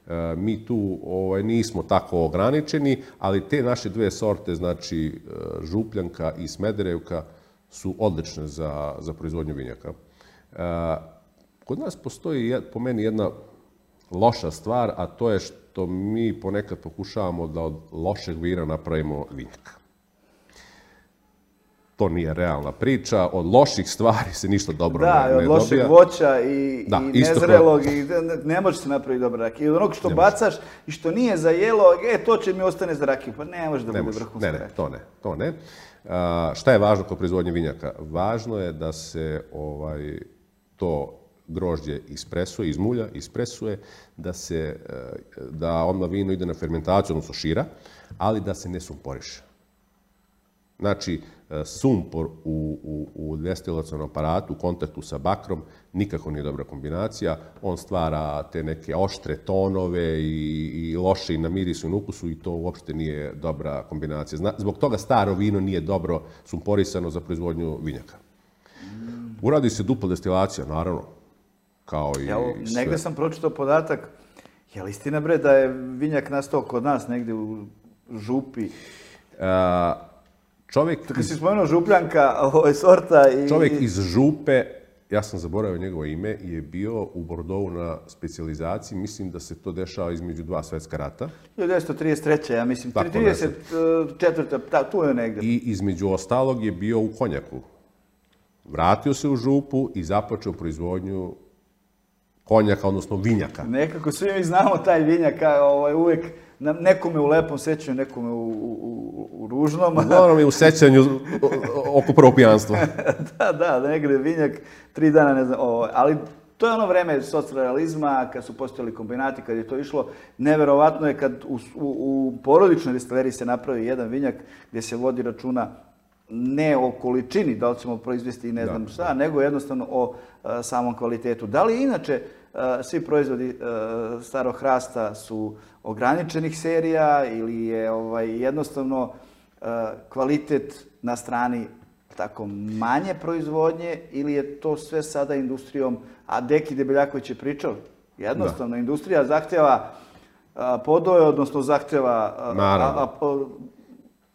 B: E, mi tu ovaj, nismo tako ograničeni, ali te naše dve sorte, znači Župljanka i Smederevka, su odlične za, za proizvodnju vinjaka. E, kod nas postoji po meni jedna loša stvar, a to je što mi ponekad pokušavamo da od lošeg vina napravimo vinjak. To nije realna priča, od loših stvari se ništa dobro
A: da,
B: ne, ne dobija.
A: Da, od lošeg voća i,
B: da,
A: i nezrelog, i ne, ne može se napraviti dobra rakija. I od onog što ne bacaš može. I što nije za jelo, e, to će mi ostane za rakiju. Pa ne može da ne bude vrhunska rakija.
B: Ne, ne, to ne, to ne. A, šta je važno kod proizvodnje vinjaka? Važno je da se ovaj, to grožđe ispresuje, izmulja, ispresuje, da, se, da odmah vino ide na fermentaciju, odnosno šira, ali da se ne sumporiše. Znači, sumpor u, u, u destilacionom aparatu u kontaktu sa bakrom nikako nije dobra kombinacija. On stvara te neke oštre tonove i, i loše i na mirisu i na ukusu i to uopšte nije dobra kombinacija. Zna, zbog toga staro vino nije dobro sumporisano za proizvodnju vinjaka. Uradi se dupla destilacija, naravno, kao i
A: Evo,
B: sve.
A: Negde sam pročitao podatak, je li istina bre da je vinjak nastao kod nas negde u Župi?
B: A, Čovjek
A: Kad si spomenuo Župljanka, ovo sorta i...
B: Čovjek iz Župe, ja sam zaboravio njegovo ime, je bio u Bordeauxu na specijalizaciji. Mislim da se to dešava između dva svetska rata.
A: hiljadu devetsto trideset treće. ja mislim, trideset četvrta. Ta, tu je negde.
B: I između ostalog je bio u konjaku. Vratio se u Župu i započeo proizvodnju konjaka, odnosno vinjaka.
A: Nekako svi mi znamo taj vinjak, ovaj, uvek nekome u lepom sećanju, nekome u, u, u ružnom.
B: Uglavnom je u sećanju oko prvog pijanstva.
A: da, da, negde vinjak, tri dana, ne znam, ovo, ali to je ono vreme socrealizma, kad su postojali kombinati, kad je to išlo. Neverovatno je kad u, u, u porodičnoj destileriji se napravi jedan vinjak gdje se vodi računa ne o količini, da li ćemo proizvesti i ne znam šta, da. nego jednostavno o a, samom kvalitetu. Da li inače a, svi proizvodi a, starog hrasta su ograničenih serija ili je ovaj, jednostavno a, kvalitet na strani tako manje proizvodnje ili je to sve sada industrijom, a Deki Debeljaković je pričao, jednostavno da. industrija zahtjeva a, podoje, odnosno zahtjeva a, a, a,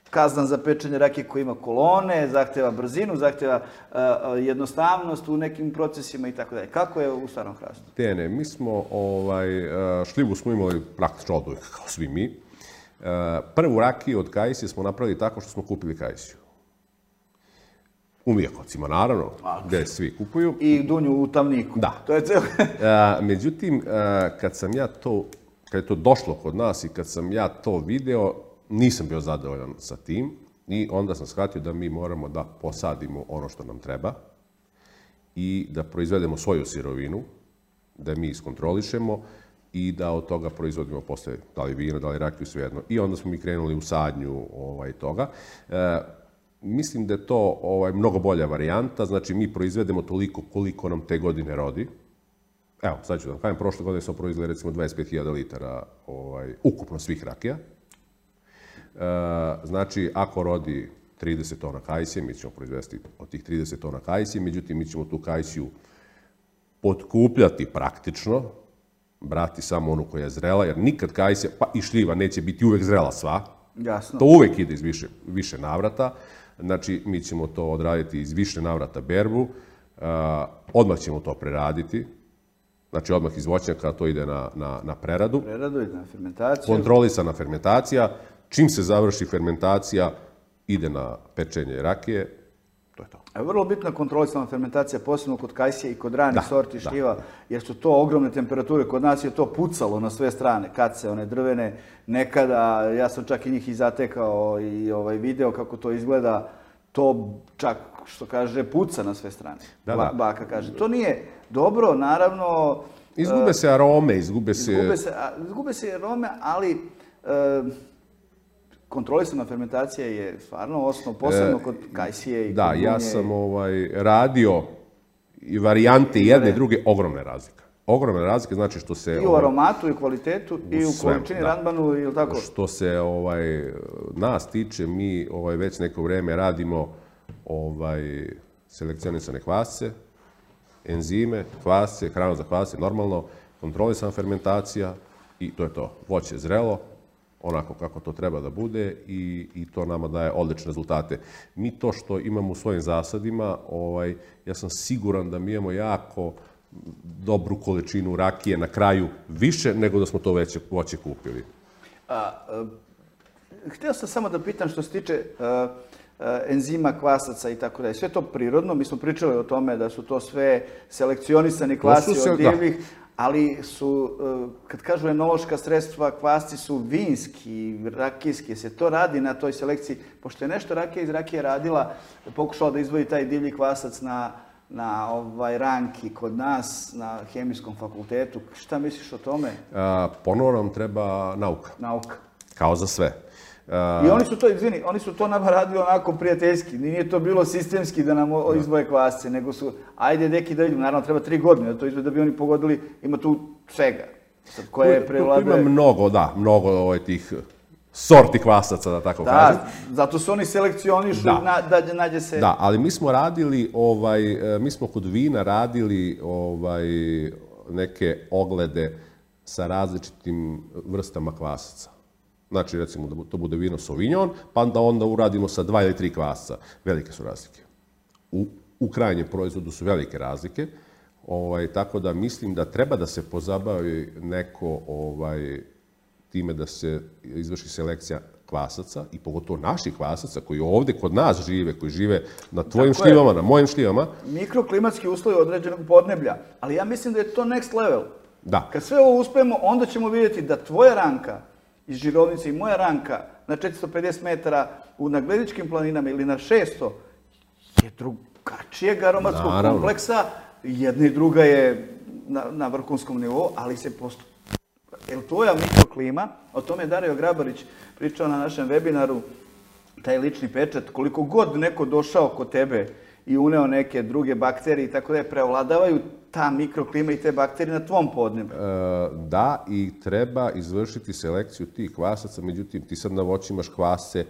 A: kazan za pečenje rakije koji ima kolone, zahtjeva brzinu, zahtjeva uh, jednostavnost u nekim procesima i tako dalje. Kako je u starom hrastu?
B: Tene, mi smo, ovaj, šljivu smo imali praktično od uvijek, kao svi mi. Uh, prvu rakiju od kajsije smo napravili tako što smo kupili kajsiju. U Mijakovcima, naravno, a, gdje svi kupuju.
A: I dunju u Tamniku.
B: Da.
A: To je celo...
B: uh, međutim, uh, kad sam ja to, kad je to došlo kod nas i kad sam ja to video, nisam bio zadovoljan sa tim i onda sam shvatio da mi moramo da posadimo ono što nam treba i da proizvedemo svoju sirovinu, da mi iskontrolišemo i da od toga proizvodimo posle, da li vino, da li rakiju, svejedno. I onda smo mi krenuli u sadnju ovaj, toga. E, mislim da je to ovaj, mnogo bolja varijanta, znači mi proizvedemo toliko koliko nam te godine rodi. Evo, sad ću da vam kažem, prošle godine smo proizveli recimo dvadeset pet hiljada litara ovaj, ukupno svih rakija. Znači, ako rodi trideset tona kajsije, mi ćemo proizvesti od tih trideset tona kajsije, međutim, mi ćemo tu kajsiju potkupljati praktično, brati samo onu koja je zrela, jer nikad kajsija, pa i šljiva, neće biti uvek zrela sva.
A: Jasno.
B: To uvek ide iz više, više navrata. Znači, mi ćemo to odraditi iz više navrata berbu, odmah ćemo to preraditi, znači odmah iz voćnjaka to ide na, na, na preradu.
A: Preradu ide na fermentaciju.
B: Kontrolisana fermentacija. Čim se završi fermentacija, ide na pečenje rakije, to je to.
A: A vrlo bitna kontrolisana fermentacija, posebno kod kajsije i kod ranih sorti šljiva, da. jer su to ogromne temperature. Kod nas je to pucalo na sve strane, kace, one drvene, nekada, ja sam čak i njih i zatekao i ovaj, video kako to izgleda, to čak, što kaže, puca na sve strane.
B: Da, da.
A: Baka kaže. To nije dobro, naravno,
B: Izgube se arome, izgube se...
A: Izgube se, izgube se arome, ali e, kontrolisana fermentacija je stvarno osnov, posebno kod kajsije i
B: da,
A: kod bunje.
B: Ja sam ovaj, radio i varijante jedne i druge, ogromne razlike. Ogromne razlike, znači što se...
A: I u aromatu, i u kvalitetu, i u količini randmanu, ili tako?
B: Što se ovaj, nas tiče, mi ovaj, već neko vreme radimo ovaj, selekcionisane kvasce, enzime, kvasce, hranu za kvasce, normalno, kontrolisana fermentacija i to je to. Voće je zrelo, onako kako to treba da bude i, i to nama daje odlične rezultate. Mi to što imamo u svojim zasadima, ovaj, ja sam siguran da mi imamo jako dobru količinu rakije na kraju, više nego da smo to već voće kupili.
A: A, a, htio sam samo da pitam što se tiče a, a, enzima, kvasaca i tako dalje. Sve to prirodno, mi smo pričali o tome da su to sve selekcionisani kvasi se, od divljih, da. Ali su, kad kažu enološka sredstva, kvasci su vinski, rakijski, se to radi na toj selekciji, pošto je nešto rakija iz rakije radila, pokušala da izvoji taj divlji kvasac na na ovaj ranki kod nas, na hemijskom fakultetu. Šta misliš o tome?
B: A, ponovo nam treba nauka.
A: Nauka.
B: Kao za sve. A...
A: I oni su to, izvini, oni su to nama radili onako prijateljski. Nije to bilo sistemski da nam da. izvoje kvasce, nego su, ajde deki da vidimo, naravno treba tri godine da to izvoje, da bi oni pogodili, ima tu svega. Sad, koje
B: tu,
A: prevlade...
B: tu ima mnogo, da, mnogo ovaj, tih sorti kvasaca, da tako
A: da,
B: kažem.
A: Da, zato su oni selekcionišu da. Na, da nađe se...
B: Da, ali mi smo radili, ovaj, mi smo kod vina radili ovaj, neke oglede sa različitim vrstama kvasaca. Znači, recimo, da to bude vino Sauvignon, pa da onda uradimo sa dva ili tri kvasca. Velike su razlike. U, u krajnjem proizvodu su velike razlike, ovaj, tako da mislim da treba da se pozabavi neko... Ovaj, time da se izvrši selekcija kvasaca i pogotovo naših kvasaca koji ovde kod nas žive, koji žive na tvojim tako šljivama, je. Na mojim šljivama.
A: Mikroklimatski uslovi određenog podneblja, ali ja mislim da je to next level.
B: Da.
A: Kad sve ovo uspemo, onda ćemo vidjeti da tvoja ranka iz Žirovnice i moja ranka na četiristo pedeset metara u Nagledičkim planinama ili na šesto je drugačijeg aromatskog Naravno. kompleksa. Jedna i druga je na, na vrhunskom nivou, ali se posto... Jer tvoja mikroklima, o tome je Dario Grabarić pričao na našem webinaru, taj lični pečat, koliko god neko došao kod tebe i uneo neke druge bakterije i tako da je prevladavaju ta mikroklima i te bakterije na tvom podneblju.
B: E, da, i treba izvršiti selekciju tih kvasaca, međutim ti sad na voću imaš kvasce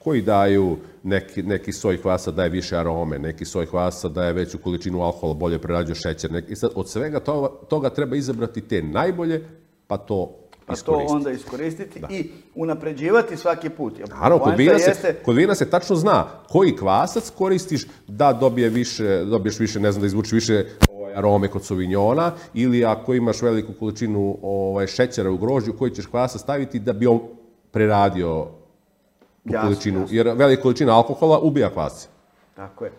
B: koji daju, neki, neki soj kvasa daje više arome, neki soj kvasa daje veću količinu alkohola, bolje prerađuje šećer. Neki, i sad od svega toga, toga treba izabrati te najbolje, pa to
A: pa to onda iskoristiti da. I unapređivati svaki put.
B: Naravno, kod vina, jeste... se, kod vina se tačno zna koji kvasac koristiš da dobije više, dobiješ više, ne znam, da izvuči više ovaj, arome kod Sauvignona, ili ako imaš veliku količinu ovaj, šećera u grožđu, koji ćeš kvasac staviti da bi on preradio tu jasno, količinu. Jasno. Jer velika količina alkohola ubija kvasce.
A: Tako je.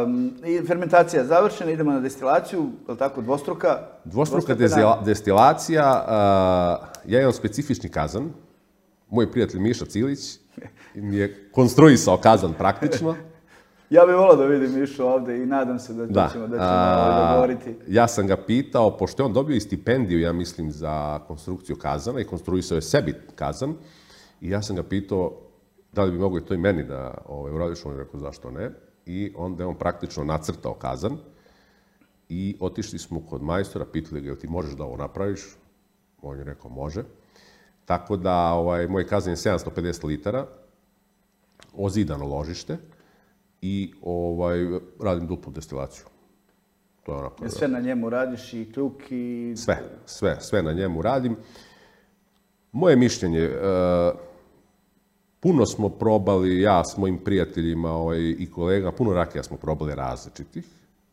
A: Um, i fermentacija je završena, idemo na destilaciju, je li tako, dvostruka?
B: Dvostruka destila, destilacija, uh, ja imam specifični kazan, moj prijatelj Miša Cilić mi je konstruisao kazan praktično.
A: Ja bih volao da vidim Mišu ovde i nadam se da, da. ćemo, da ćemo uh, dogovoriti.
B: Ja sam ga pitao, pošto je on dobio i stipendiju, ja mislim, za konstrukciju kazana i konstruisao je sebi kazan, i ja sam ga pitao da li bi mogo i to i meni da ovaj, uradiš, on je rekao zašto ne. I onda je on praktično nacrtao kazan i otišli smo kod majstora, pitali ga, jel ti možeš da ovo napraviš? On je rekao, može. Tako da, ovaj, moj kazan je sedamsto pedeset litara, ozidano ložište i ovaj, radim duplu destilaciju. To je onako,
A: sve na njemu radiš i kljuk i...
B: Sve, sve, sve na njemu radim. Moje mišljenje... Uh, Puno smo probali, ja s mojim prijateljima ovaj, i kolega, puno rakija smo probali različitih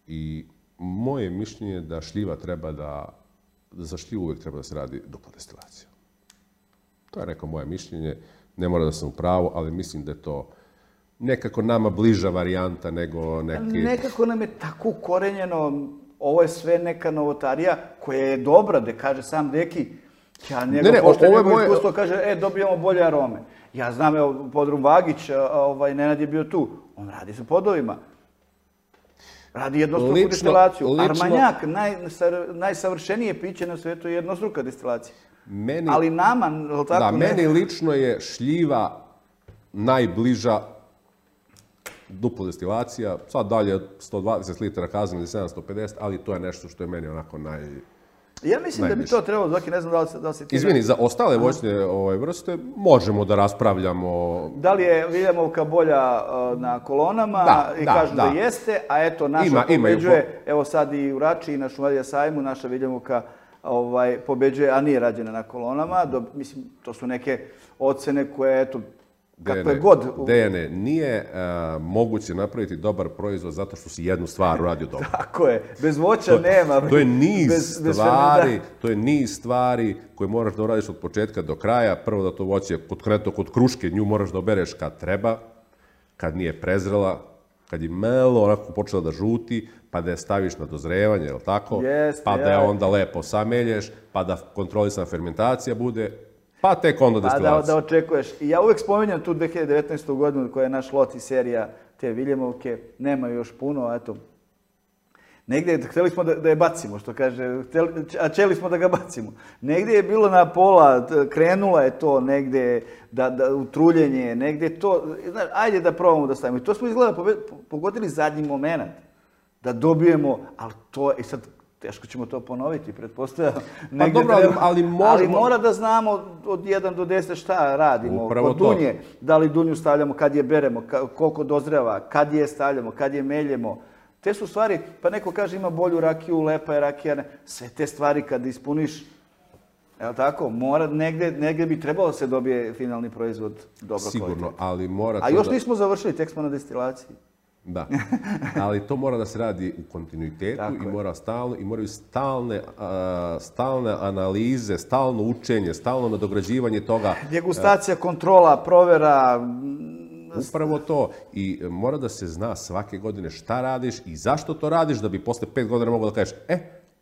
B: i moje mišljenje je da šljiva treba da, da za šljivu uvijek treba da se radi dupla destilacija. To je neko moje mišljenje, ne mora da sam u pravu, ali mislim da je to nekako nama bliža varijanta nego neki...
A: Nekako nam je tako ukorenjeno, ovo je sve neka novotarija koja je dobra, da kaže sam Deki, ja njegov ne, ne, pošto je njegov moje... iskustvo kaže, e, dobijamo bolje arome. Ja znam, evo, Podrum Vagić, ovaj, Nenad je bio tu. On radi sa podovima. Radi jednostruku
B: Lično-
A: destilaciju.
B: lično-
A: Armanjak, naj, najsavršenije piće na svijetu je jednostruka destilacija.
B: Meni,
A: Ali nama, jel tako?
B: da,
A: ne-
B: meni lično je šljiva najbliža duplo destilacija, sad dalje sto dvadeset litara kazan ili sedamsto pedeset, ali to je nešto što je meni onako naj...
A: Ja mislim da bi
B: najbliže.
A: to trebalo, Zoki, ne znam da li, se- da li se ti...
B: Izvini, za ostale voćne ovaj, vrste možemo da raspravljamo.
A: Da li je Viljemovka bolja uh, na kolonama
B: Da,
A: i
B: da,
A: kažu da.
B: da.
A: jeste, a eto naša
B: Ima- ima i
A: pobeđuje, evo sad i u Rači i na Šumadija sajmu, naša Viljemovka ovaj, pobeđuje, a nije rađena na kolonama. Do, mislim, to su neke ocene koje, eto, kakve
B: Dejane,
A: god...
B: Dejane, nije uh, moguće napraviti dobar proizvod zato što si jednu stvar uradio dobro.
A: Tako je, bez voća nema.
B: To je niz
A: bez- bez
B: stvari,
A: fermenta.
B: to je niz stvari koje moraš da uradiš od početka do kraja. Prvo da to voće, konkretno kod kruške, nju moraš da obereš kad treba, kad nije prezrela, kad je malo onako počela da žuti, pa da je staviš na dozrevanje, je li tako?
A: Jeste,
B: pa da je
A: ja.
B: onda lepo samelješ, pa da kontrolisana fermentacija bude, pa tek onda
A: Pa da,
B: destilacija.
A: da očekuješ. I ja uvek spominjam tu dve hiljade devetnaestu. godinu koja je naš lot i serija te Viljemovke. Nema još puno, eto. Negdje htjeli smo da, da je bacimo, što kaže, htjeli, a čeli smo da ga bacimo. Negdje je bilo na pola, t- krenula je to negdje da, da, u truljenje, negdje je to, znaš, ajde da probamo da stavimo. I to smo izgleda pobe- pogodili zadnji moment, da dobijemo, ali to, i sad teško ćemo to ponoviti, pretpostavljam. Negdje
B: dobro, ali-
A: treba-
B: ali možemo-
A: ali mora da znamo od jedan do deset šta radimo.
B: Upravo
A: Kod
B: to.
A: dunje, da li dunju stavljamo, kad je beremo, ka- koliko dozreva, kad je stavljamo, kad je meljemo. Te su stvari, pa neko kaže ima bolju rakiju, lepa je rakija, ne. Sve te stvari kad ispuniš, jel tako, mora, negdje, negdje bi trebalo da se dobije finalni proizvod dobro
B: Sigurno,
A: kvalitetno.
B: ali mora
A: A
B: to
A: još
B: da...
A: nismo završili, tek smo na destilaciji.
B: Da, ali to mora da se radi u kontinuitetu
A: Tako
B: i
A: je.
B: mora stalno i moraju stalne, a, stalne analize, stalno učenje, stalno nadograđivanje toga.
A: Degustacija, kontrola, provera,
B: Upravo to. I mora da se zna svake godine šta radiš i zašto to radiš, da bi posle pet godina mogao da kažeš, e,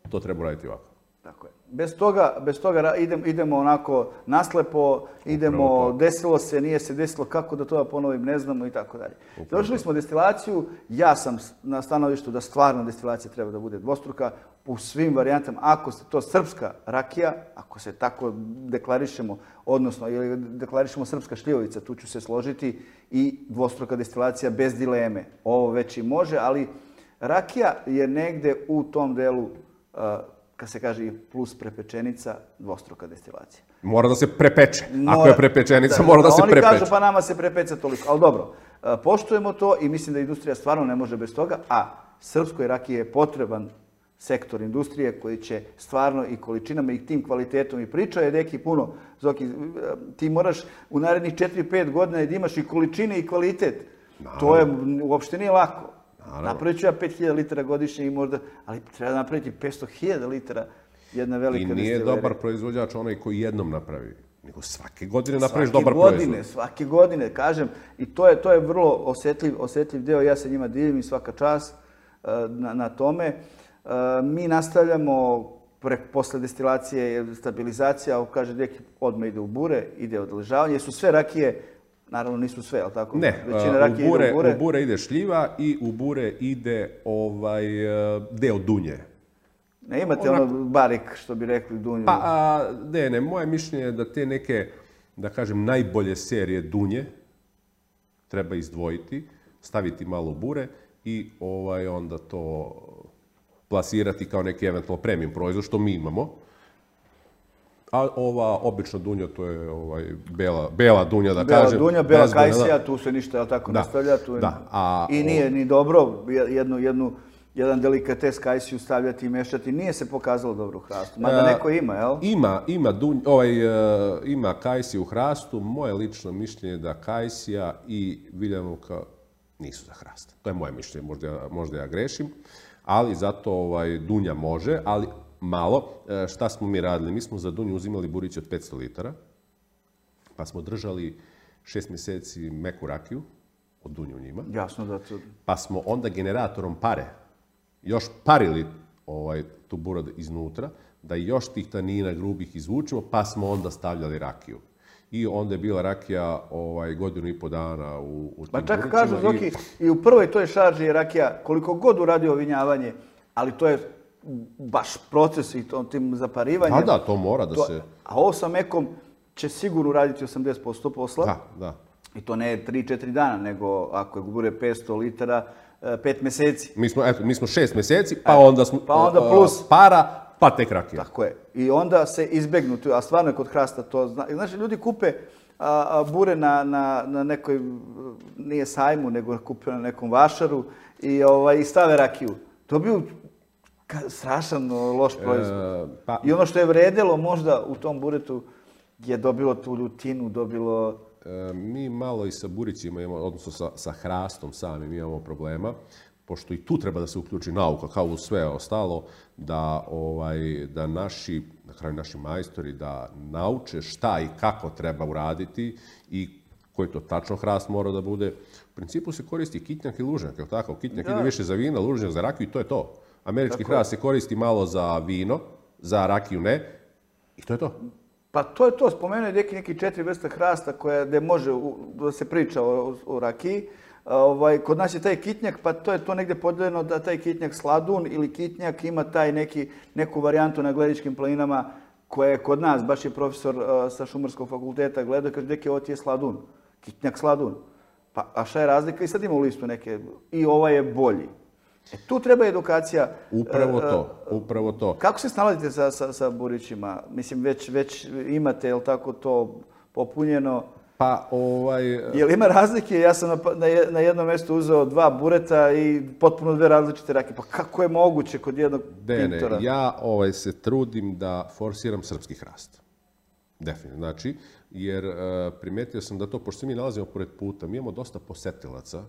B: to treba raditi ovako.
A: tako je. Bez toga, bez toga ra- idem, idemo onako naslepo, idemo,
B: Upravo to.
A: desilo se, nije se desilo, kako da to da ponovim, ne znamo i tako dalje. Završili smo destilaciju, ja sam s- na stanovištu da stvarno destilacija treba da bude dvostruka u svim varijantama. Ako se to srpska rakija, ako se tako deklarišemo, odnosno ili deklarišemo srpska šljivovica, tu ću se složiti, i dvostruka destilacija bez dileme. Ovo već i može, ali rakija je negde u tom delu, uh, kad se kaže i plus prepečenica, dvostruka destilacija.
B: Mora da se prepeče. Ako
A: Mora-
B: je prepečenica,
A: da,
B: mora da se
A: Oni
B: prepeče.
A: kažu pa nama se prepeca toliko, ali dobro, e, poštujemo to i mislim da industrija stvarno ne može bez toga, a srpskoj rakiji je potreban sektor industrije koji će stvarno i količinama i tim kvalitetom, i priča je neki puno, Zoki, e, ti moraš u narednih četiri pet godina da imaš i količine i kvalitet. To je uopšte nije lako. Napravit ću ja pet hiljada litara godišnje i možda, ali treba napraviti petsto hiljada litara jedna velika
B: I nije
A: destilerija.
B: dobar proizvođač onaj koji jednom napravi, nego svake godine napraviš
A: Svake
B: dobar
A: godine,
B: proizvod.
A: svake godine, kažem. I to je, to je vrlo osjetljiv, osjetljiv deo, ja se njima divim i svaka čast e, na, na tome. E, mi nastavljamo pre, posle destilacije, stabilizacija, kaže deki, odmah ide u bure, ide odležavanje, jer su sve rakije, naravno nisu sve, ali tako?
B: Ne,
A: Većina
B: uh,
A: rakije
B: u, bure,
A: ide u bure.
B: u bure ide šljiva i u bure ide ovaj uh, deo dunje.
A: Ne imate ono barik, što bi rekli, dunju.
B: Pa, a, ne, ne, moje mišljenje je da te neke, da kažem, najbolje serije dunje treba izdvojiti, staviti malo bure i ovaj onda to plasirati kao neki eventualno premium proizvod, što mi imamo. A ova obična dunja, to je ovaj, bela, bela dunja, da
A: Bela
B: kažem.
A: dunja, bela
B: bezbojna, da.
A: kajsija, tu se ništa, jel tako,
B: Da,
A: ne stavlja. Tu je...
B: da, a
A: I nije ni dobro jednu, jednu, jedan delikates kajsiju stavljati i mešati. Nije se pokazalo dobro u hrastu. Mada
B: E,
A: neko ima, jel?
B: Ima, ima, dunj, ovaj, e, ima kajsija u hrastu. Moje lično mišljenje je da kajsija i viljemovka nisu za hrast. To je moje mišljenje, možda ja, možda ja grešim. Ali zato ovaj, dunja može, ali malo. E, šta smo mi radili? Mi smo za dunju uzimali buriće od petsto litara, pa smo držali šest mjeseci meku rakiju od dunje u njima.
A: Jasno da to...
B: Pa smo onda generatorom pare još parili ovaj, tu burad iznutra, da još tih tanina grubih izvučemo, pa smo onda stavljali rakiju. i onda je bila rakija ovaj, godinu i po dana u, u tim
A: Pa čak
B: buricima
A: kažu, Zoki, i... i u prvoj toj šarži je rakija, koliko god uradio vinjavanje, ali to je baš proces i to, tim zaparivanjem.
B: Da, da, to mora da
A: to,
B: se...
A: A ovo sa mekom će sigurno raditi osamdeset posto posla.
B: Da, da.
A: I to ne tri četiri dana, nego ako je bude petsto litara, pet meseci.
B: Mi smo, eto, mi smo šest meseci, pa onda smo...
A: Pa onda plus...
B: Para, pa tek rakija.
A: Tako je. I onda se izbegnu, a stvarno je kod hrasta to... Zna... Znači, ljudi kupe a, a, bure na, na, na nekoj, nije sajmu, nego kupe na nekom vašaru i, ovaj, i stave rakiju. Dobiju strašan loš proizvod. E, pa... I ono što je vredelo možda u tom buretu je dobilo tu ljutinu, dobilo...
B: E, mi malo i sa burićima imamo, odnosno sa, sa hrastom samim imamo problema, pošto i tu treba da se uključi nauka, kao u sve ostalo, da, ovaj, da naši, na kraju naši majstori, da nauče šta i kako treba uraditi i koji to tačno hrast mora da bude. U principu se koristi kitnjak i lužnjak, je li tako? Kitnjak da. Ide više za vino, lužnjak za rakiju i to je to. Američki tako hrast se koristi malo za vino, za rakiju ne, i to je to.
A: Pa to je to, spomenuo je neki, neki četiri vrste hrasta koje, gde može da se priča o, o rakiji. Ovaj, kod nas je taj kitnjak, pa to je to negdje podeljeno da taj kitnjak sladun ili kitnjak ima taj neki, neku varijantu na Gledičkim planinama koja je kod nas, baš je profesor uh, sa Šumarskog fakulteta gledao, kaže, deki, ovo ti je sladun, kitnjak sladun. Pa, a šta je razlika? I sad ima u listu neke, i ovaj je bolji. E, tu treba edukacija.
B: Upravo to, upravo to.
A: Kako se snalazite sa, sa, sa burićima? Mislim, već, već imate, jel tako, to popunjeno?
B: Pa, ovaj...
A: Jel ima razlike? Ja sam na, na jednom mjestu uzeo dva bureta i potpuno dve različite rakije. Pa kako je moguće kod jednog
B: Dene,
A: pintora?
B: Ja ovaj, se trudim da forsiram srpski hrast. Definitivno. Znači, jer uh, primetio sam da to, pošto se mi nalazimo pored puta, mi imamo dosta posetilaca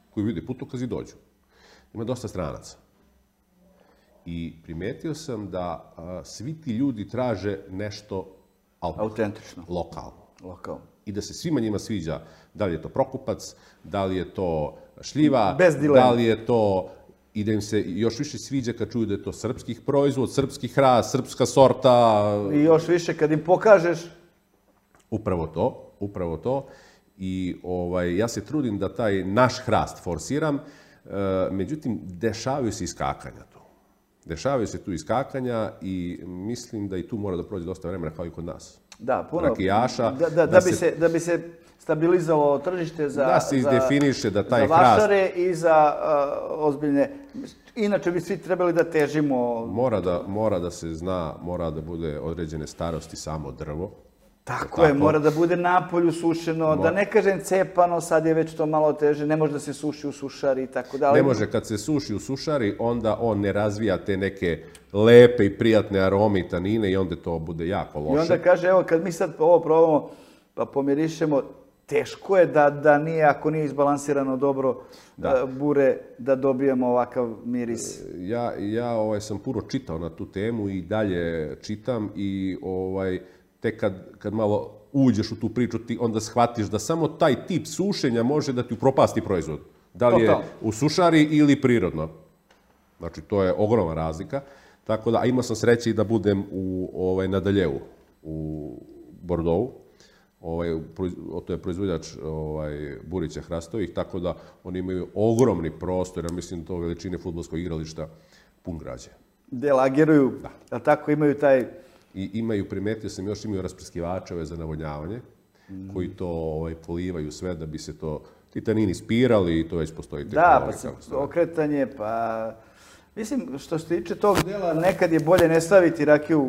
B: koji vide putokazi i dođu. Ima dosta stranaca. I primetio sam da uh, svi ti ljudi traže nešto
A: autentično,
B: lokalno.
A: Lokalno.
B: I da se svima njima sviđa, da li je to Prokupac, da li je to šljiva, da li je to, i da im se još više sviđa kad čuju da je to srpskih proizvod, srpski hrast, srpska sorta.
A: I još više kad im pokažeš.
B: Upravo to, upravo to. I ovaj, ja se trudim da taj naš hrast forsiram, e, međutim, dešavaju se iskakanja tu. Dešavaju se tu iskakanja i mislim da i tu mora da prođe dosta vremena kao i kod nas.
A: Da, puno.
B: Rakijaša.
A: Da, da, da, da, bi se, se, da bi se stabilizovalo tržište za,
B: da se izdefiniše da taj
A: za vašare hrast, i za uh, ozbiljne... Inače bi svi trebali da težimo...
B: Mora da, mora da se zna, mora da bude određene starosti samo drvo.
A: Tako, tako je, mora da bude napolju sušeno, mora. Da ne kažem cepano, sad je već to malo teže, ne može da se suši u sušari i tako dalje.
B: Ne može, kad se suši u sušari, onda on ne razvija te neke lepe i prijatne arome i tanine i onda to bude jako loše.
A: I onda kaže, evo, kad mi sad ovo probamo, pa pomirišemo, teško je da, da nije, ako nije izbalansirano dobro da. bure, da dobijemo ovakav miris.
B: Ja, ja ovaj, sam puno čitao na tu temu i dalje čitam i ovaj, tek kad, kad malo uđeš u tu priču, ti onda shvatiš da samo taj tip sušenja može da ti upropasti proizvod. Da li je u sušari ili prirodno. Znači, to je ogromna razlika. Tako da, a imao sam sreće i da budem u, ovaj, na Daljevu, u Bordeauxu. Ovaj, to je proizvođač ovaj, burića hrastovih, tako da oni imaju ogromni prostor, ja mislim to veličine fudbalskog igrališta, pun građe.
A: Gde lageruju, da. A tako imaju taj...
B: I imaju, primetio sam, još imaju rasprskivačeve za navodnjavanje, mm. koji to ovaj, polivaju sve da bi se to, ti tanini spirali i to već postoji.
A: Da, pa se okretanje, pa... Mislim, što se tiče tog dela, nekad je bolje ne staviti rakiju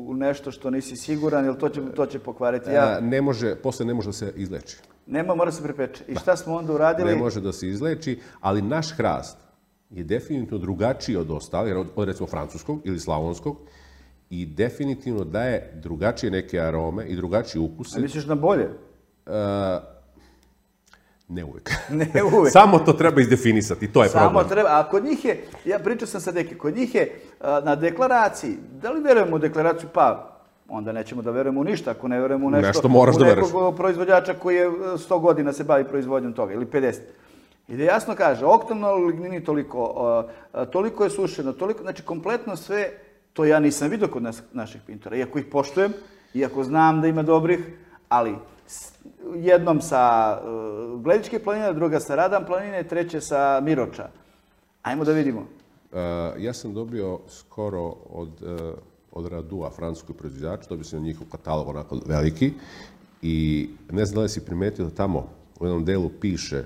A: u nešto što nisi siguran, jer to će, to će pokvariti. Ja...
B: Ne može, posle ne može da se izleči.
A: Nema, mora se prepeče. I šta smo onda uradili?
B: Ne može da se izleči, ali naš hrast je definitivno drugačiji od ostalih, od, od recimo francuskog ili slavonskog, i definitivno daje drugačije neke arome i drugačije ukuse.
A: A misliš na bolje?
B: Uh, Ne uvijek.
A: Ne uvijek.
B: Samo to treba izdefinisati, to je
A: Samo
B: problem.
A: Treba, a kod njih je, ja pričao sam sa Deki, kod njih je a, na deklaraciji, da li verujemo u deklaraciju? Pa, onda nećemo da verujemo u ništa, ako ne verujemo u nešto,
B: nešto moraš
A: u
B: da
A: nekog
B: veruješ.
A: Proizvođača koji je sto godina se bavi proizvodnjom toga, ili pedeset. I da jasno kaže, oktanol lignini toliko, a, a, toliko je sušeno, toliko, znači kompletno sve, to ja nisam vidio kod nas, naših pintora, iako ih poštujem, Iako znam da ima dobrih, ali jednom sa Gledičke planine, druga sa Radan planine, treće sa Miroča. Ajmo da vidimo.
B: Ja sam dobio skoro od, od Radua, francuskog proizvođača, dobio sam njihov katalog onako veliki i ne znam da li si primetio da tamo u jednom delu piše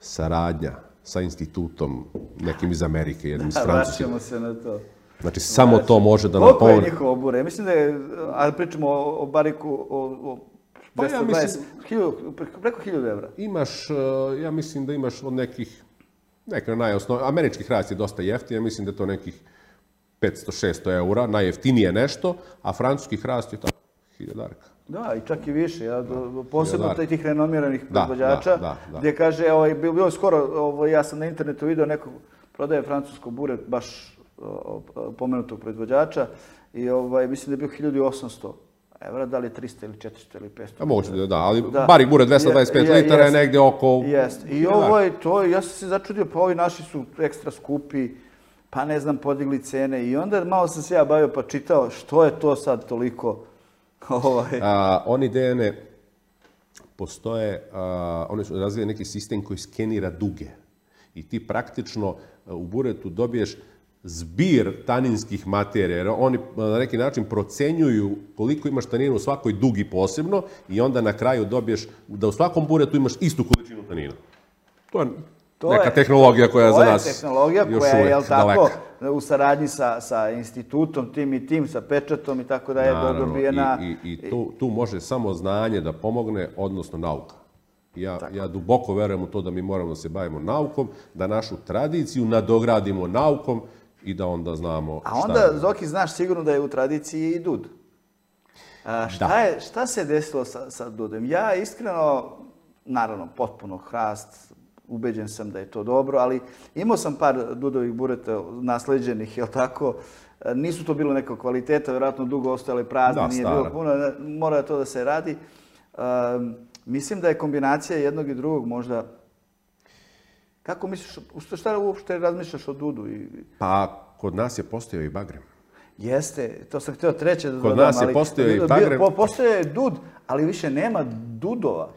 B: saradnja sa institutom nekim iz Amerike, jednim iz Francuske.
A: Vraćamo se na to.
B: Znači, samo to može da nam
A: pomogne. Koliko
B: je
A: njihovo bure? Mislim da je, ali pričamo o bariku, o dvesta dvadeset, preko hiljadu evra.
B: Imaš, ja mislim da imaš od nekih, neka najosnovnija, američki hrast je dosta jeftin, ja mislim da je to nekih petsto do šesto eura, najjeftinije nešto, a francuski hrast je tako, hiljadarka.
A: Da, i čak i više, ja, posebno tih renomiranih proizvođača, gdje kaže, bilo je skoro, ja sam na internetu vidio neko prodaje francusko bure, baš pomenutog proizvođača, i mislim da je bio hiljadu osamsto evra, da li je trista ili četiristo ili petsto.
B: Moguće da, da, ali barik bure dvesta dvadeset pet litara je negdje oko...
A: Jest, i ovo je to, ja sam se začudio, pa ovi naši su ekstra skupi, pa ne znam, podigli cene, i onda malo sam se ja bavio pa čitao što je to sad toliko...
B: Oni D N A postoje, oni su razvijeli neki sistem koji skenira duge i ti praktično u buretu dobiješ zbir taninskih materija, jer oni na neki način procenjuju koliko imaš tanina u svakoj dugi posebno i onda na kraju dobiješ da u svakom buretu imaš istu količinu tanina. To je neka tehnologija koja je za nas još uvijek daleka.
A: To je tehnologija koja je, jel tako, u saradnji sa institutom, tim i tim, sa pečatom i tako da je dobijena...
B: I tu može samo znanje da pomogne, odnosno nauka. Ja duboko verujem u to da mi moramo da se bavimo naukom, da našu tradiciju nadogradimo naukom i da onda znamo šta...
A: A onda, Zoki, znaš sigurno da je u tradiciji i dud. Šta se desilo sa dudem? Ja iskreno, naravno, potpuno hrast, ubeđen sam da je to dobro, ali imao sam par dudovih bureta nasleđenih, jel tako? Nisu to bilo nekog kvaliteta, vjerojatno dugo ostajale prazne, nije bilo puno, mora to da se radi. Mislim da je kombinacija jednog i drugog možda... Kako misliš, šta uopšte razmišljaš o dudu?
B: Pa, kod nas je postojao i bagrem.
A: Jeste, to sam htio treće da dodam.
B: Kod nas je postojao i bagrem.
A: Postoje je dud, ali više nema dudova.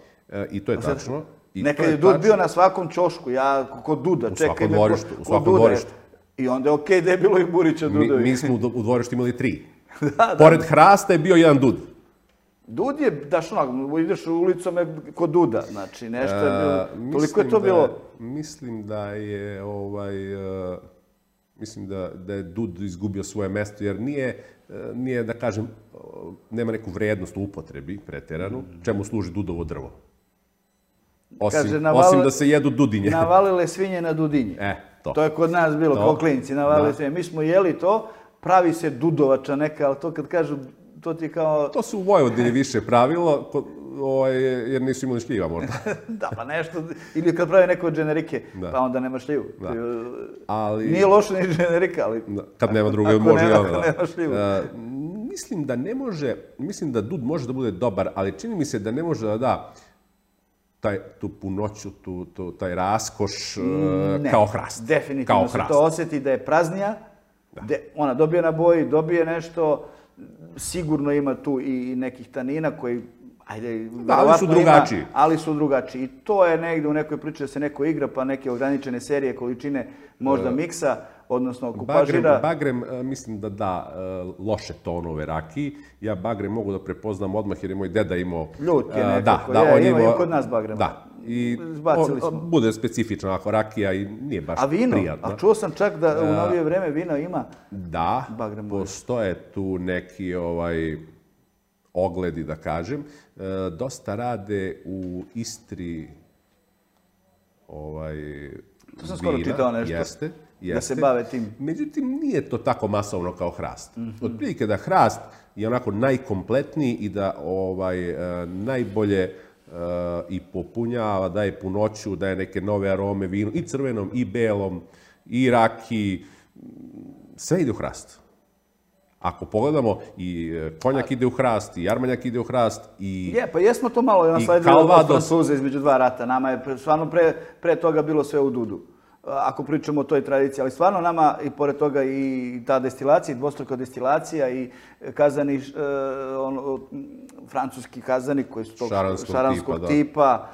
B: I to je tačno.
A: Nekad je dud bio na svakom ćošku, ja kod duda, čekaj me
B: u svakom dvorištu.
A: I onda je okej da je bilo i burića dudovi.
B: Mi smo u dvorištu imali tri. Pored hrasta je bio jedan dud.
A: Dud je, daš onak, ideš ulicom kod duda, znači nešto je bilo, toliko je to bilo...
B: Mislim da je, ovaj, mislim da je dud izgubio svoje mesto, jer nije, nije, da kažem, nema neku vrednost u upotrebi pretjeranu, čemu služi dudovo drvo. Osim da se jedu dudinje.
A: Navalile svinje na dudinje.
B: E, to.
A: To je kod nas bilo, kao klinci, navalile svinje. Mi smo jeli to, pravi se dudovača neka, ali to kad kažu, to ti je kao...
B: To su u Vojvodini više pravilo, jer nisu imali šljiva možda.
A: Da, pa nešto, ili kad pravi neko od dženerike, pa onda nema šljivu. Nije loše ni dženerika, ali...
B: Kad nema druge, može i ono. Ako nema šljivu. Mislim da ne može, mislim da dud može da bude dobar, ali čini mi se da ne može da da tu punoću, taj raskoš kao hrast.
A: Definitivno se to osjeti da je praznija, ona dobije na boji, dobije nešto, sigurno ima tu i nekih tanina koji, ajde,
B: ali su drugačiji.
A: Ali su drugačiji. I to je negdje u nekoj priči da se neko igra, pa neke ograničene serije, količine možda miksa, odnosno kupažira.
B: Bagrem, mislim da da loše tonove rakiji. Ja bagrem mogu da prepoznam odmah jer je moj deda imao...
A: Ljut je nekako, je, ima i kod nas bagrem.
B: Da. I bude specifično ako rakija i nije baš prijatno.
A: A vino? A čuo sam čak da u novije vreme vino ima bagrem.
B: Da, postoje tu neki ogledi, da kažem. Dosta rade u Istri
A: to sam skoro čitao nešto. Da se bave tim.
B: Međutim, nije to tako masovno kao hrast. Otprilike da hrast je onako najkompletniji i da najbolje i popunjava, daje punoću, daje neke nove arome vinu, i crvenom, i belom, i rakiji, sve ide u hrast. Ako pogledamo, i konjak ide u hrast, i armanjak ide u hrast, i
A: Je, pa jesmo to malo nasledili od Francuza između dva rata. Nama je stvarno pre toga bilo sve u dudu. ako pričamo o toj tradiciji, ali stvarno nama i pored toga i ta destilacija, dvostruka destilacija i kazani, ono, francuski kazani koji su tog šaranskog tipa,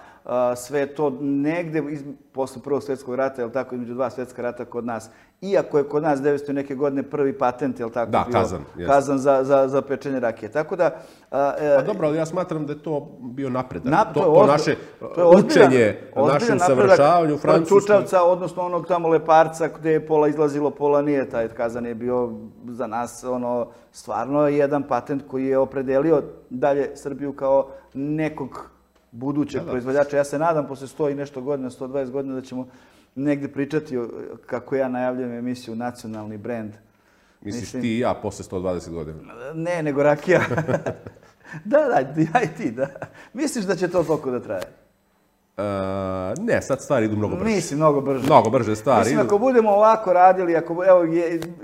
A: sve to negde posle Prvog svjetskog rata, jel tako, između dva svjetska rata kod nas. Iako je kod nas devetsto neke godine prvi patent, jel tako,
B: da,
A: bio
B: kazan,
A: kazan za, za, za pečenje rakije. Tako da...
B: A, a dobro, ali ja smatram da je to bio napredak.
A: Na,
B: to, to, to naše to je učenje, našem savršavanju u Francuskoj.
A: Čučavca, odnosno onog tamo Leparca gde je pola izlazilo, pola nije. Taj kazan je bio za nas ono, stvarno jedan patent koji je opredelio dalje Srbiju kao nekog budućeg proizvođača. Ja se nadam posle sto i nešto godina, sto dvadeset godina da ćemo negde pričati kako ja najavljam emisiju nacionalni brend.
B: Misliš ti i ja posle sto dvadeset godina?
A: Ne, nego rakija. Da, da, ja i ti, da. Misliš da će to toliko da traje?
B: Ne, sad stvari idu mnogo brže.
A: Mislim, mnogo brže.
B: Mnogo brže stvari idu.
A: Mislim, ako budemo ovako radili, ako, evo,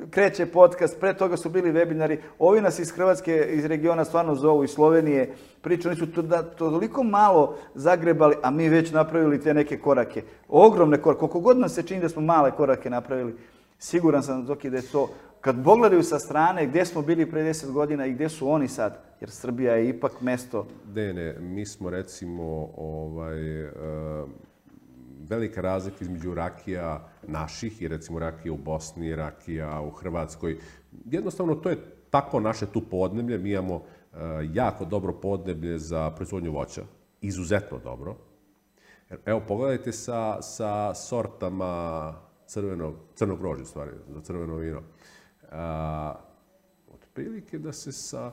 A: kreće podcast, pre toga su bili webinari, ovi nas iz Hrvatske, iz regiona stvarno zovu, iz Slovenije, priču, oni su to, da, to toliko malo zagrebali, a mi već napravili te neke korake. Ogromne korake. Koliko god nam se čini da smo male korake napravili, siguran sam, Zoki, da je to, kad pogledaju sa strane gdje smo bili pre deset godina i gdje su oni sad, jer Srbija je ipak mesto...
B: Ne, ne, mi smo recimo ovaj, uh, velika razlika između rakija naših i recimo rakija u Bosni, rakija u Hrvatskoj. Jednostavno, to je tako naše tu podneblje. Mi imamo uh, jako dobro podneblje za proizvodnju voća, izuzetno dobro. Evo, pogledajte sa, sa sortama crvenog, crnog grožđa, stvari, za crveno vino. Uh, otprilike da se sa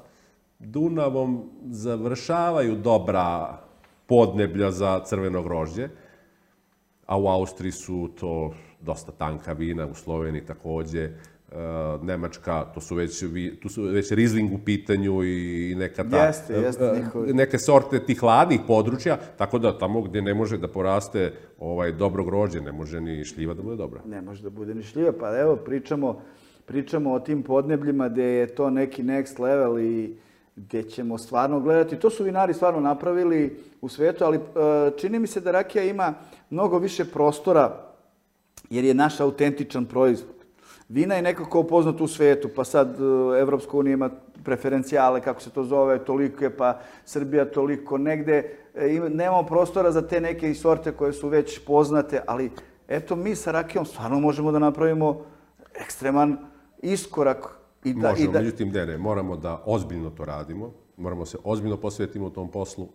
B: Dunavom završavaju dobra podneblja za crveno grožđe, a u Austriji su to dosta tanka vina, u Sloveniji takođe, uh, Nemačka, to su već, tu su već Riesling u pitanju i neka ta,
A: jeste, jeste,
B: uh, neke sorte tih hladnih područja, tako da tamo gdje ne može da poraste ovaj, dobro grožđe, ne može ni šljiva da bude dobra.
A: Ne može da bude ni šljiva, pa evo pričamo, pričamo o tim podnebljima gdje je to neki next level i gdje ćemo stvarno gledati. To su vinari stvarno napravili u svijetu, ali čini mi se da rakija ima mnogo više prostora jer je naš autentičan proizvod. Vina je nekako poznato u svijetu, pa sad Evropska unija ima preferencijale, kako se to zove, tolike, pa Srbija toliko. Negde nemamo prostora za te neke sorte koje su već poznate, ali eto mi sa rakijom stvarno možemo da napravimo ekstreman iskorak.
B: I da, Možemo, i da... međutim, ne, ne, moramo da ozbiljno to radimo, moramo se ozbiljno posvetimo u tom poslu,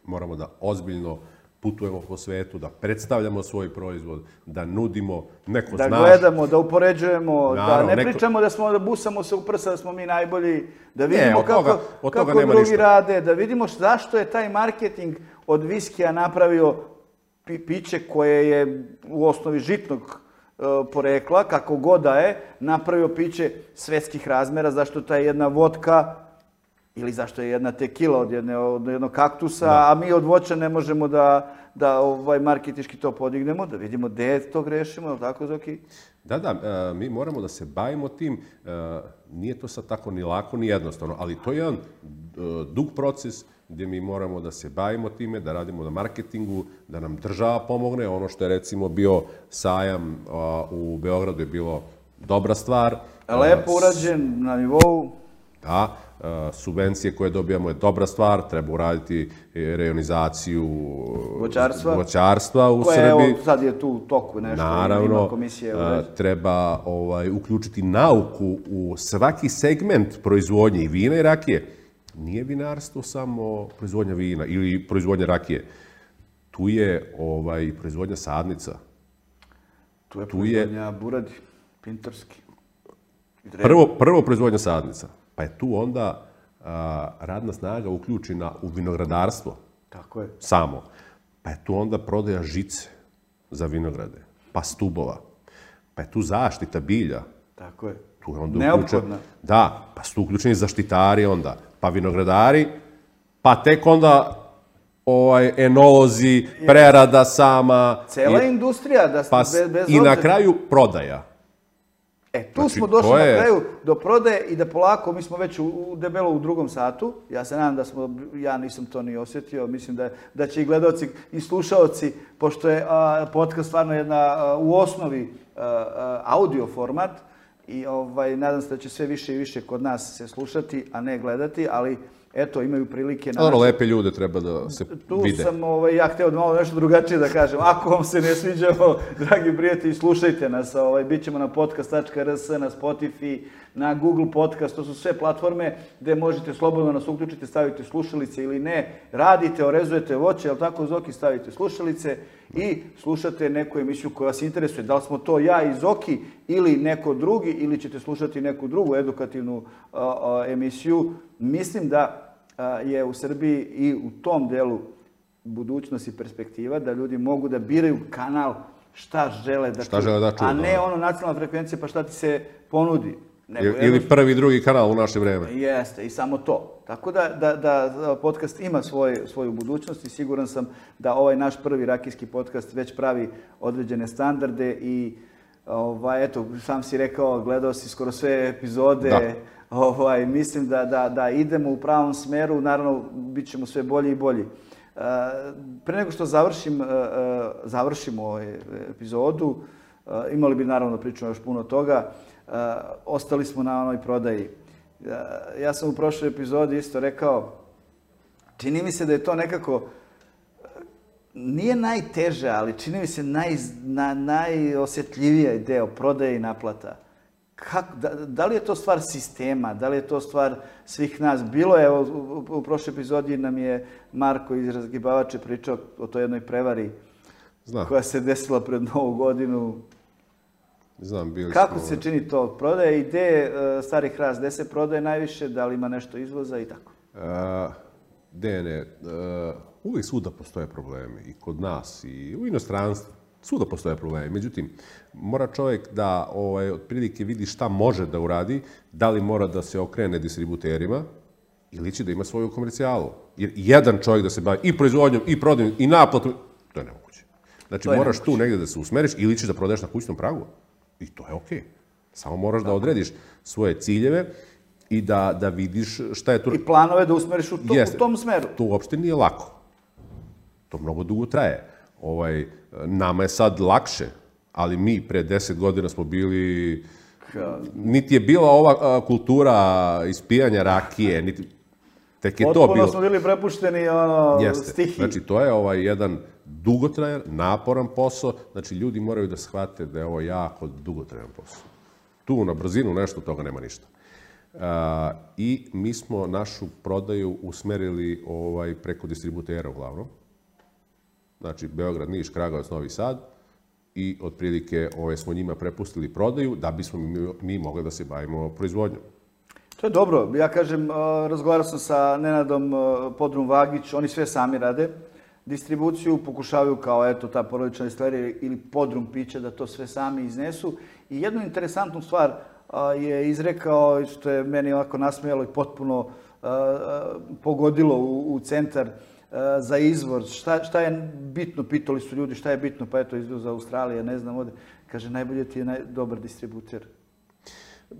B: moramo da ozbiljno putujemo po svetu, da predstavljamo svoj proizvod, da nudimo neko
A: da
B: znaš...
A: Da gledamo, da upoređujemo, Naravno, da ne neko... pričamo da smo, da busamo se u prsa, da smo mi najbolji, da vidimo
B: ne,
A: kako,
B: toga,
A: kako drugi ništa. rade, da vidimo zašto je taj marketing od viskija napravio pi piće koje je u osnovi žitnog porekla, kako god da je, napravio piće svetskih razmera, zašto ta jedna vodka ili zašto je jedna tekila od, jedne, od jednog kaktusa, da. A mi od voća ne možemo da, da ovaj, marketički to podignemo, da vidimo gdje to grešimo, je li tako, Zoki?
B: Da, da, mi moramo da se bavimo tim, nije to sad tako ni lako, ni jednostavno, ali to je jedan dug proces gdje mi moramo da se bavimo time, da radimo na marketingu, da nam država pomogne. Ono što je recimo bio sajam u Beogradu je bilo dobra stvar.
A: Lepo urađen na nivou.
B: Da, subvencije koje dobijamo je dobra stvar, treba uraditi rejonizaciju
A: voćarstva,
B: voćarstva u
A: koje,
B: Srbiji.
A: Evo, sad je tu u toku nešto.
B: Naravno,
A: ima komisije.
B: Treba ovaj, uključiti nauku u svaki segment proizvodnje i vina i rakije. Nije vinarstvo samo proizvodnja vina ili proizvodnja rakije. Tu je ovaj, proizvodnja sadnica.
A: Tu je proizvodnja tu je... buradi, pintorski.
B: Prvo, prvo proizvodnja sadnica. Pa je tu onda a, radna snaga uključena u vinogradarstvo.
A: Tako je.
B: Samo. Pa je tu onda prodaja žice za vinograde, pa stubova. Pa je tu zaštita bilja.
A: Tako je.
B: Tu je onda
A: neophodna.
B: Da, pa su tu uključeni zaštitari onda, pa vinogradari, pa tek onda ovaj, enolozi, prerada sama.
A: Cela i, industrija, da
B: pa,
A: bez, bez
B: i na kraju prodaja.
A: E, tu znači, smo došli je... na kraju do prodaje i da polako, mi smo već u, u debelo u drugom satu. Ja se nadam da smo, ja nisam to ni osjetio, mislim da, da će i gledalci i slušaoci, pošto je a, podcast stvarno jedna a, u osnovi a, a, audio format i ovaj, nadam se da će sve više i više kod nas se slušati, a ne gledati, ali eto, imaju prilike...
B: Na naše... lepe ljude treba da se
A: tu
B: vide.
A: Tu sam, ovaj, ja hteo da malo nešto drugačije da kažem. Ako vam se ne sviđamo, dragi prijatelji, slušajte nas. Ovaj, Bićemo na podcast tačka r s, na Spotify, na Google Podcast. To su sve platforme gde možete slobodno nas uključiti, stavite slušalice ili ne. Radite, orezujete voće, jel tako, Zoki, stavite slušalice i slušate neku emisiju koja vas interesuje. Da li smo to ja i Zoki ili neko drugi, ili ćete slušati neku drugu edukativnu a, a, emisiju. Mislim da je u Srbiji i u tom delu budućnost i perspektiva, da ljudi mogu da biraju kanal šta žele da
B: šta žele da čuju,
A: a ne ono nacionalna frekvencija pa šta ti se ponudi.
B: Nego, ili jedno... prvi, drugi kanal u naše vreme.
A: Jeste, i samo to. Tako da, da, da podcast ima svoj, svoju budućnost i siguran sam da ovaj naš prvi rakijski podcast već pravi određene standarde i ovaj, eto, sam si rekao, gledao si skoro sve epizode. Da. Ovaj, mislim da, da, da idemo u pravom smeru, naravno bit ćemo sve bolji i bolji. Uh, pre nego što završim, uh, završimo ovu epizodu, uh, imali bi naravno da pričamo još puno toga, uh, ostali smo na onoj prodaji. Uh, ja sam u prošloj epizodi isto rekao, čini mi se da je to nekako, nije najteže, ali čini mi se naj, na, najosjetljiviji deo prodaje i naplata. Kako, da, da li je to stvar sistema, da li je to stvar svih nas? Bilo je, evo, u, u prošloj epizodi nam je Marko iz Razgibavače pričao o toj jednoj prevari Znam. koja se desila pred Novu godinu.
B: Znam, bili
A: Kako
B: smo...
A: se čini to prodaje i gde uh, Stari Hrast, gde se prodaje najviše, da li ima nešto izvoza i tako?
B: Uh, Dene, uh, uvijek svuda postoje problemi i kod nas i u inostranstvu. Svuda postoje problemi. Međutim, mora čovjek da ovaj, otprilike vidi šta može da uradi, da li mora da se okrene distributerima ili će da ima svoju komercijalu. Jer jedan čovjek da se bavi i proizvodnjom, i prodajom, i naplatom, to je nemoguće. Znači, moraš nemoguće. tu negdje da se usmeriš ili ćeš da prodaješ na kućnom pragu. I to je okej. Okay. Samo moraš Tako. da odrediš svoje ciljeve i da, da vidiš šta je tu...
A: I planove da usmeriš u, to, u tom smeru.
B: To uopšte nije lako. To mnogo dugo traje. Ovaj, nama je sad lakše, ali mi pre deset godina smo bili... Niti je bila ova kultura ispijanja rakije, niti... Tek je
A: Potpuno
B: to bilo...
A: smo bili prepušteni ono,
B: Jeste.
A: stihiji.
B: Znači, to je ovaj jedan dugotrajan, naporan posao. Znači, ljudi moraju da shvate da je ovo jako dugotrajan posao. Tu na brzinu nešto toga nema ništa. Uh, I mi smo našu prodaju usmerili ovaj, preko distributera uglavnom. Znači, Beograd, Niš, Kragujevac, Novi Sad. I otprilike ove, smo njima prepustili prodaju da bismo mi, mi mogli da se bavimo proizvodnjom.
A: To je dobro. Ja kažem, razgovarao sam sa Nenadom Podrum Vagić, oni sve sami rade. Distribuciju pokušavaju kao eto ta porodična destilerija ili Podrum pića da to sve sami iznesu. I jednu interesantnu stvar je izrekao, što je meni ovako nasmijalo i potpuno pogodilo u, u centar za izvor. Šta, šta je bitno, pitali su ljudi, šta je bitno, pa eto izvoz za Australije, ne znam ovdje. Kaže, najbolje ti je naj, dobar distributer.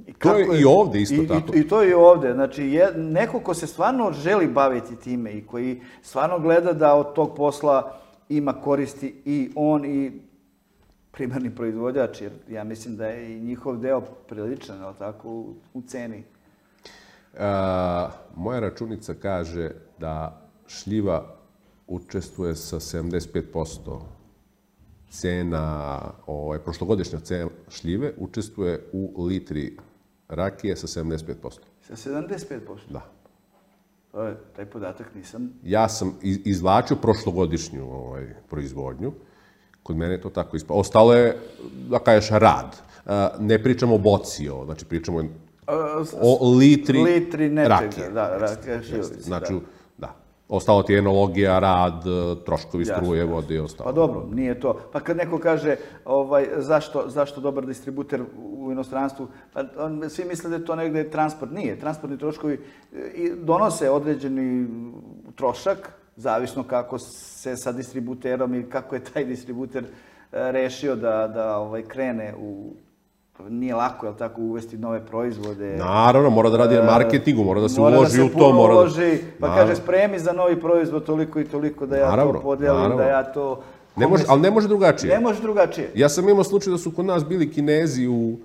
B: I to je, je i ovdje isto
A: i,
B: tako.
A: I, I to je i ovdje. Znači, je, neko ko se stvarno želi baviti time i koji stvarno gleda da od tog posla ima koristi i on i primarni proizvođač, jer ja mislim da je i njihov deo priličan, ali tako, u, u ceni.
B: A, moja računica kaže da šljiva učestvuje sa sedamdeset pet posto cena, ovaj, prošlogodišnja cena šljive učestvuje u litri rakije sa sedamdeset pet posto.
A: Sa sedamdeset pet posto?
B: Da.
A: To je, taj podatak nisam...
B: Ja sam izvlačio prošlogodišnju ovaj, proizvodnju. Kod mene je to tako ispalo. Ostalo je, da kažeš, rad. Ne pričamo o boci, o, znači pričamo o litri,
A: litri nečega,
B: rakije.
A: Da, rakije šljivice.
B: Znači, da. da. Ostalo ti je enologija, rad, troškovi struje, jasno, vode i ostalo.
A: Pa dobro, nije to. Pa kad neko kaže ovaj, zašto, zašto dobar distributer u inostranstvu, pa on, svi misle da je to negde transport. Nije. Transportni troškovi donose određeni trošak, zavisno kako se sa distributerom i kako je taj distributer rešio da, da ovaj, krene u nije lako, jel tako, uvesti nove proizvode.
B: Naravno, mora da radi na marketingu, mora da se
A: mora
B: uloži
A: da
B: u
A: se
B: to.
A: Mora uloži, pa naravno. Kaže, spremi za novi proizvod toliko i toliko da ja naravno, to podelim, naravno. Da ja to...
B: Ne može, ali ne može drugačije.
A: Ne može drugačije.
B: Ja sam imao slučaj da su kod nas bili Kinezi u, u,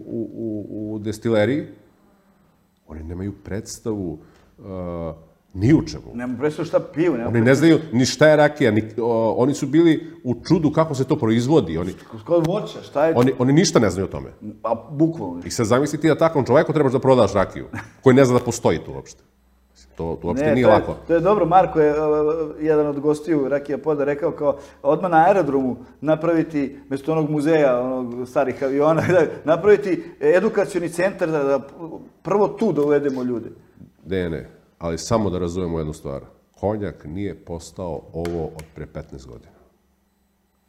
B: u, u, u destileriji. Oni nemaju predstavu uh, ni u čemu.
A: Nemaju predstavu šta piju.
B: Oni predstavu. Ne znaju ni šta je rakija. Ni, o, oni su bili u čudu kako se to proizvodi. Oni,
A: Kod voća, šta je?
B: Oni, oni ništa ne znaju o tome.
A: Pa, bukvalno.
B: I sad zamisli ti da takvom čoveku trebaš da prodaš rakiju, koji ne zna da postoji tu uopšte. To, to uopšte ne, nije
A: to je,
B: lako.
A: To je dobro, Marko je uh, jedan od gostiju Rakija Poda rekao kao odmah na aerodromu napraviti, mjesto onog muzeja, onog starih aviona, napraviti edukacioni centar da, da prvo tu da uvedemo ljude.
B: Ne, ne, ali samo da razumemo jednu stvar. Konjak nije postao ovo od pre petnaest godina.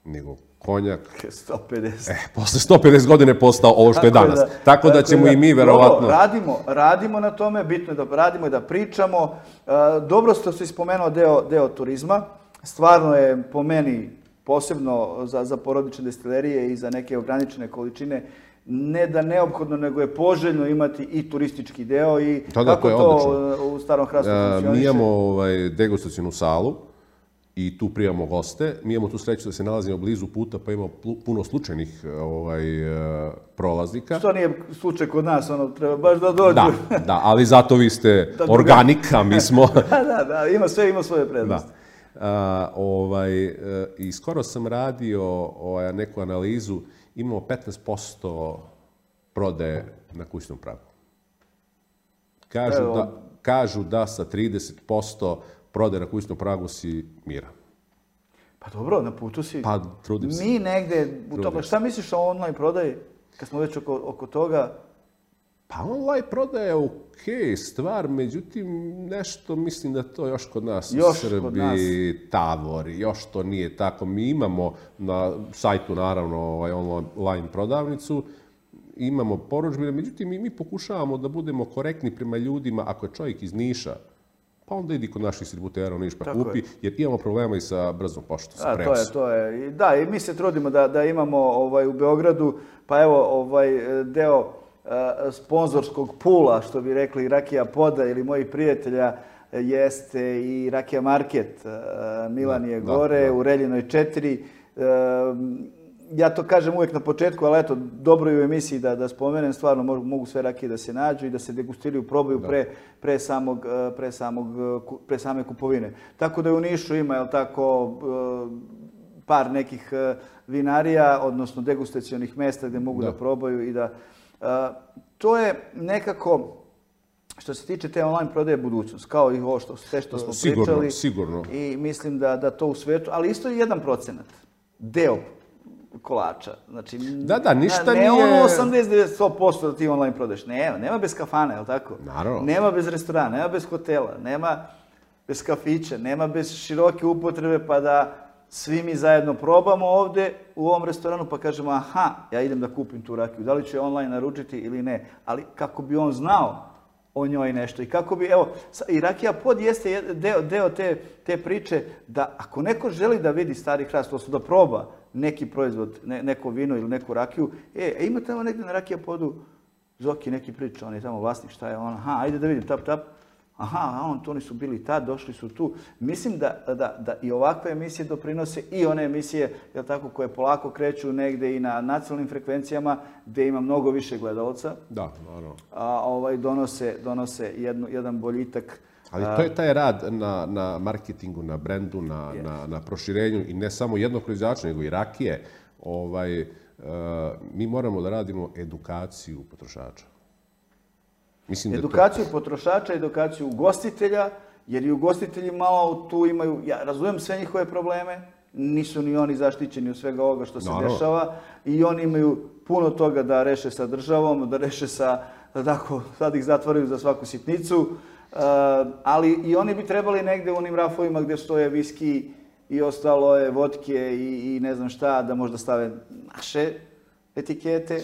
B: Nego konjak...
A: sto pedeset.
B: Eh, posle sto pedeset godine je postao ovo što je danas. Da, tako, tako da ćemo da, i mi verovatno...
A: Dobro, radimo, radimo na tome, bitno je da radimo i da pričamo. Dobro ste se spomenuo deo, deo turizma. Stvarno je po meni, posebno za, za porodične destilerije i za neke ograničene količine, ne da neophodno, nego je poželjno imati i turistički deo i
B: da, da,
A: kako to, to u Starom Hrastu funkcioniše.
B: Mi imamo ovaj, degustacionu salu i tu prijemamo goste. Mi imamo tu sreću da se nalazimo blizu puta, pa imamo puno slučajnih ovaj, prolaznika.
A: Što nije slučaj kod nas, ono, treba baš da dođu.
B: Da, da, ali zato vi ste organika, mi smo...
A: da, da, da, ima sve, ima svoje prednosti.
B: Da. Uh, ovaj, I skoro sam radio ovaj, neku analizu, imamo petnaest posto prodaje na kućnom pragu. Kažu,
A: Evo.
B: da, kažu da sa trideset posto prodaje na kućnom pragu si miran.
A: Pa dobro, na putu si.
B: Pa trudim se.
A: Mi negde, u tome, šta misliš o online prodaji, kad smo već oko, oko toga?
B: Pa online prodaja je okej stvar, međutim nešto mislim da to još kod nas
A: još
B: u Srbiji tavori, još to nije tako. Mi imamo na sajtu naravno ovaj online prodavnicu, imamo porudžbine, međutim mi, mi pokušavamo da budemo korektni prema ljudima. Ako je čovjek iz Niša, pa onda idi kod naših distributera u Niš pa kupi, je. Jer imamo problema i sa brzom poštom, sa prenosom.
A: To je, to je. I da, i mi se trudimo da, da imamo ovaj, u Beogradu, pa evo ovaj deo uh, sponzorskog pula, što bi rekli Rakija Poda ili mojih prijatelja, jeste i Rakija Market. Uh, Milan je da, gore, da, da. U Reljinoj četiri. Uh, Ja to kažem uvijek na početku, ali eto, dobro je u emisiji da, da spomenem, stvarno mogu, mogu sve rakije da se nađu i da se degustiraju, probaju pre, pre, samog, pre, samog, pre same kupovine. Tako da je u Nišu ima, jel tako, par nekih vinarija, odnosno degustacionih mesta gdje mogu da, da probaju i da... To je nekako... Što se tiče te online prodaje budućnost, kao i ovo što, sve što smo
B: sigurno,
A: pričali.
B: Sigurno, sigurno.
A: I mislim da, da to u svetu, ali isto je jedan procenat, deo kolača. Znači,
B: da, da, ništa
A: ne, ne
B: nije...
A: ono osamdeset do sto posto da ti online prodaješ. Nema, nema bez kafana, je li tako?
B: Naravno.
A: Nema bez restorana, nema bez hotela, nema bez kafića, nema bez široke upotrebe pa da svi mi zajedno probamo ovdje u ovom restoranu pa kažemo aha, ja idem da kupim tu rakiju. Da li ću je online naručiti ili ne? Ali kako bi on znao o njoj nešto i kako bi, evo, i Rakija Pod jeste deo, deo te, te priče da ako neko želi da vidi Stari Hrast, odnosno da proba neki proizvod, ne, neko vino ili neku rakiju, e, e ima tamo negdje na Rakija Podu Zoki neki priča, on je tamo vlasnik, šta je on, aha, ajde da vidim, tap, tap, aha, on, to oni su bili tad, došli su tu. Mislim da, da, da i ovakve emisije doprinose i one emisije, jel tako, koje polako kreću negde i na nacionalnim frekvencijama, gdje ima mnogo više gledalaca.
B: Da, naravno.
A: A ovaj, donose, donose jednu, jedan boljitak.
B: Ali to je taj rad na, na marketingu, na brendu, na, yes. na, na proširenju i ne samo jednog proizvođača, nego i rakije. Ovaj, uh, mi moramo da radimo edukaciju potrošača. Mislim
A: edukaciju
B: to...
A: potrošača, edukaciju ugostitelja, jer i ugostitelji malo tu imaju, ja razumijem sve njihove probleme, nisu ni oni zaštićeni od svega ovoga što se Naravno. dešava i oni imaju puno toga da reše sa državom, da reše sa, da tako, sad ih zatvaraju za svaku sitnicu, uh, ali i oni bi trebali negde u onim rafovima gdje stoje viski i ostalo je vodke i, i ne znam šta, da možda stave naše etikete.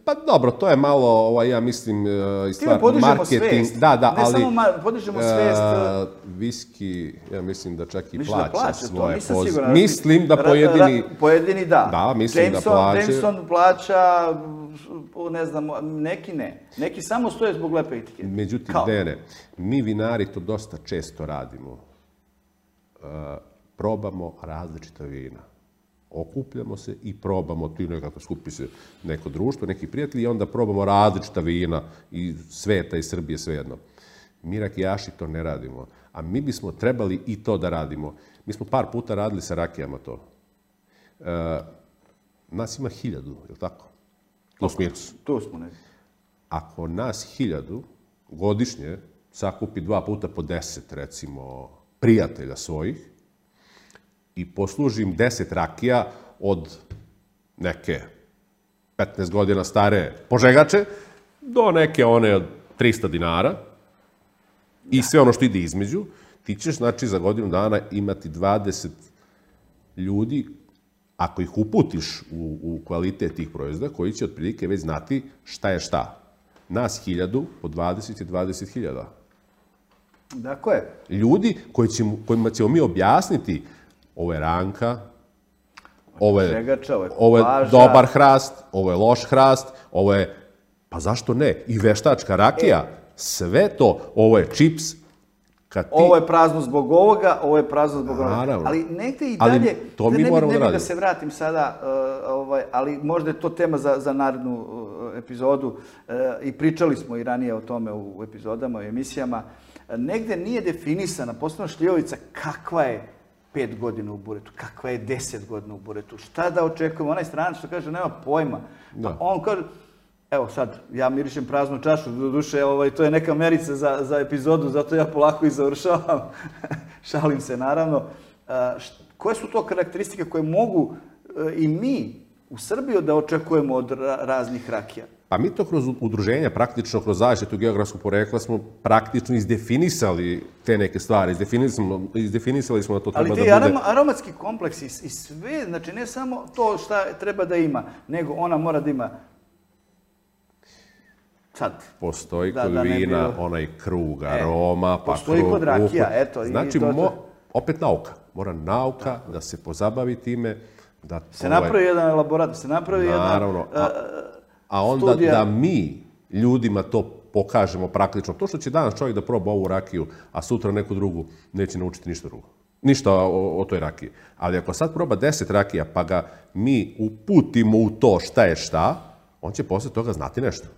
B: Pa dobro, to je malo, ovaj, ja mislim, i stvar marketing.
A: Svest.
B: Da, da,
A: ne
B: ali...
A: samo podižemo svest.
B: Uh, viski, ja mislim da čak i
A: mislim
B: plaća,
A: da plaća
B: svoje
A: pozive.
B: Mislim da pojedini...
A: Ra, ra, pojedini da.
B: Da, mislim
A: Jameson,
B: da plaća.
A: Jameson plaća ne znam, neki ne. Neki samo stoje zbog lepe etikete.
B: Međutim, ne, ne. Mi vinari to dosta često radimo. Probamo različita vina. Okupljamo se i probamo, tu nekako skupi se neko društvo, neki prijatelji i onda probamo različita vina iz sveta i Srbije, svejedno. Mi rakijaši to ne radimo, a mi bismo trebali i to da radimo. Mi smo par puta radili sa rakijama to. E, nas ima hiljadu, je li tako? Plus minus.
A: Tu smo neki.
B: Ako nas hiljadu godišnje sakupi dva puta po deset, recimo, prijatelja svojih, i poslužim deset rakija od neke petnaest godina stare požegače do neke one od trista dinara i sve ono što ide između, ti ćeš, znači, za godinu dana imati dvadeset ljudi, ako ih uputiš u, u kvalitet tih proizvoda, koji će otprilike već znati šta je šta. Nas hiljadu, po dvadeset je dvadeset hiljada.
A: Dakle je.
B: Ljudi koji ćemo, kojima ćemo mi objasniti ovo je ranka, ovo je, ovo je dobar hrast, ovo je loš hrast, ovo je, pa zašto ne, i veštačka rakija, sve to, ovo je čips. Kad ti...
A: Ovo je prazno zbog ovoga, ovo je prazno zbog ovoga.
B: Naravno.
A: Ali negde i dalje,
B: ali to mi
A: ne,
B: moramo
A: ne, ne
B: da
A: bih da se vratim sada, uh, ovaj, ali možda je to tema za, za narednu uh, epizodu uh, i pričali smo i ranije o tome u epizodama, u emisijama. Uh, negde nije definisana, posebno šljivovica, kakva je pet godina u buretu, kakva je deset godina u buretu, šta da očekujemo. Onaj stranac što kaže, nema pojma. Pa on kaže, evo sad, ja mirišem praznu čašu, do duše, ovaj, to je neka merica za, za epizodu, zato ja polako i završavam. Šalim se, naravno. Uh, št, koje su to karakteristike koje mogu uh, i mi u Srbiji da očekujemo od ra raznih rakija?
B: Pa mi to kroz udruženja, praktično kroz zaštitu geografskog porekla smo praktično izdefinisali te neke stvari. Izdefinisali, izdefinisali smo da to treba da bude...
A: Ali ti aromatski kompleksi i sve, znači ne samo to šta treba da ima, nego ona mora da ima sad.
B: Postoji kod da, vina da bilo... onaj krug aroma, e, pa
A: postoji
B: krug...
A: kod rakija,
B: ukud.
A: eto.
B: Znači,
A: i to,
B: mo, opet nauka. Mora nauka tako da se pozabavi time. Da
A: se ovaj... napravi jedan elaborat, da se napravi
B: Naravno,
A: jedna...
B: A... A onda studija... da mi ljudima to pokažemo praktično. To što će danas čovjek da proba ovu rakiju, a sutra neku drugu, neće naučiti ništa drugo. Ništa o, o toj rakiji. Ali ako sad proba deset rakija, pa ga mi uputimo u to šta je šta, on će posle toga znati nešto.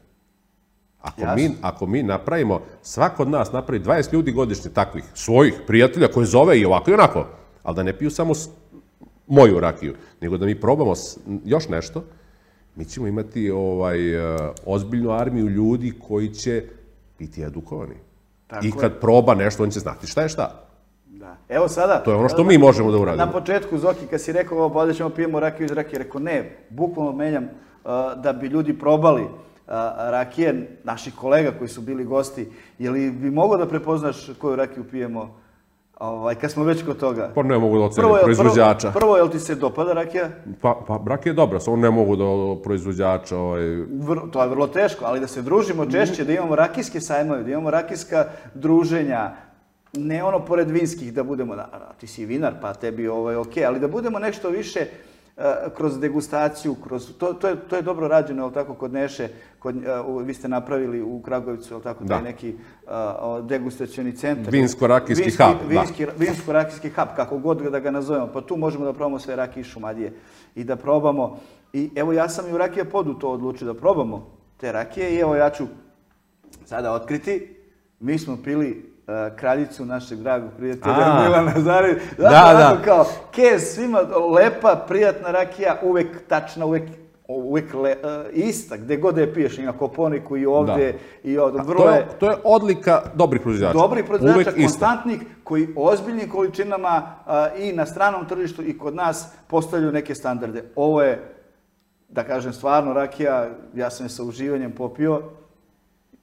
B: Ako mi, ako mi napravimo, svako od nas napravi dvadeset ljudi godišnje takvih, svojih prijatelja koje zove i ovako i onako, ali da ne piju samo moju rakiju, nego da mi probamo još nešto, mi ćemo imati ovaj, ozbiljnu armiju ljudi koji će biti edukovani. Tako I kad je. proba nešto, on će znati šta je šta.
A: Da. Evo sada...
B: To je ono što mi možemo da uradimo.
A: Na početku, Zoki, kad si rekao, ovo, ovdje ćemo pijemo rakiju iz rakije, rekao ne, bukvalno menjam uh, da bi ljudi probali uh, rakije naših kolega koji su bili gosti. Je li bi mogao da prepoznaš koju rakiju pijemo? Ovaj, kad smo već kod toga.
B: Pa ne mogu da ocenim proizvođača.
A: Prvo, prvo, je li ti se dopada rakija?
B: Pa, pa rakija je dobra, samo ne mogu da proizvođača... Ovaj...
A: Vr, to je vrlo teško, ali da se družimo češće, da imamo rakijske sajmove, da imamo rakijska druženja, ne ono pored vinskih da budemo, da, ti si vinar, pa tebi ovaj, ok, ali da budemo nešto više uh, kroz degustaciju, kroz, to, to, je, to je dobro rađeno, ali tako, kod Neše, kod, uh, vi ste napravili u Kragovicu, ali tako, taj neki uh, degustacioni centar.
B: Vinsko-rakijski hub,
A: vinski, da. Vinsko-rakijski hub, kako god da ga nazovemo, pa tu možemo da probamo sve rakije iz Šumadije i da probamo. I evo, ja sam i u Rakija Podu to odlučio da probamo te rakije i evo, ja ću sada otkriti. Mi smo pili uh, kraljicu našeg dragog prijatelja Milana Zarevića.
B: Da, da.
A: Kao, kez, svima lepa, prijatna rakija, uvek tačna, uvek, uvek le, uh, ista, gde god je piješ, i na Koponiku i ovdje. Da. I ovdje. Vrlo
B: to, je, to je odlika dobrih proizvođača.
A: Dobrih proizvođača, konstantnih, koji ozbiljnim količinama uh, i na stranom tržištu i kod nas postavljaju neke standarde. Ovo je, da kažem, stvarno rakija, ja sam je sa uživanjem popio.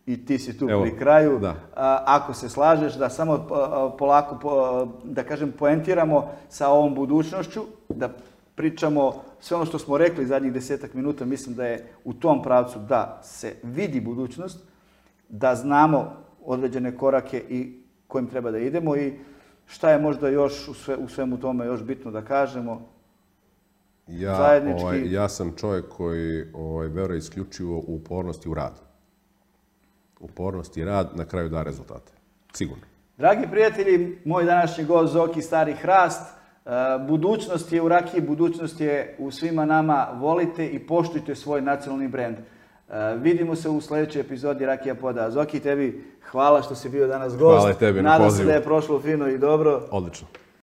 A: I ti si tu Evo, pri kraju. Da. A, ako se slažeš da samo a, polako, po, da kažem, poentiramo sa ovom budućnošću, da pričamo sve ono što smo rekli zadnjih desetak minuta, mislim da je u tom pravcu da se vidi budućnost, da znamo određene korake i kojim treba da idemo i šta je možda još u, sve, u svemu tome još bitno da kažemo.
B: Ja,
A: zajednički.
B: Ovaj, ja sam čovjek koji ovaj, veruje isključivo u upornost i u rad. Upornost i rad na kraju da rezultate. Sigurno.
A: Dragi prijatelji, moj današnji gost Zoki Stari Hrast. Budućnost je u rakiji, budućnost je u svima nama. Volite i poštujte svoj nacionalni brend. Vidimo se u sljedećoj epizodi Rakija Poda. Zoki, tebi hvala što si bio danas gost.
B: Hvala i tebi na
A: Nadam
B: pozivu.
A: se da je prošlo fino i dobro.
B: Odlično.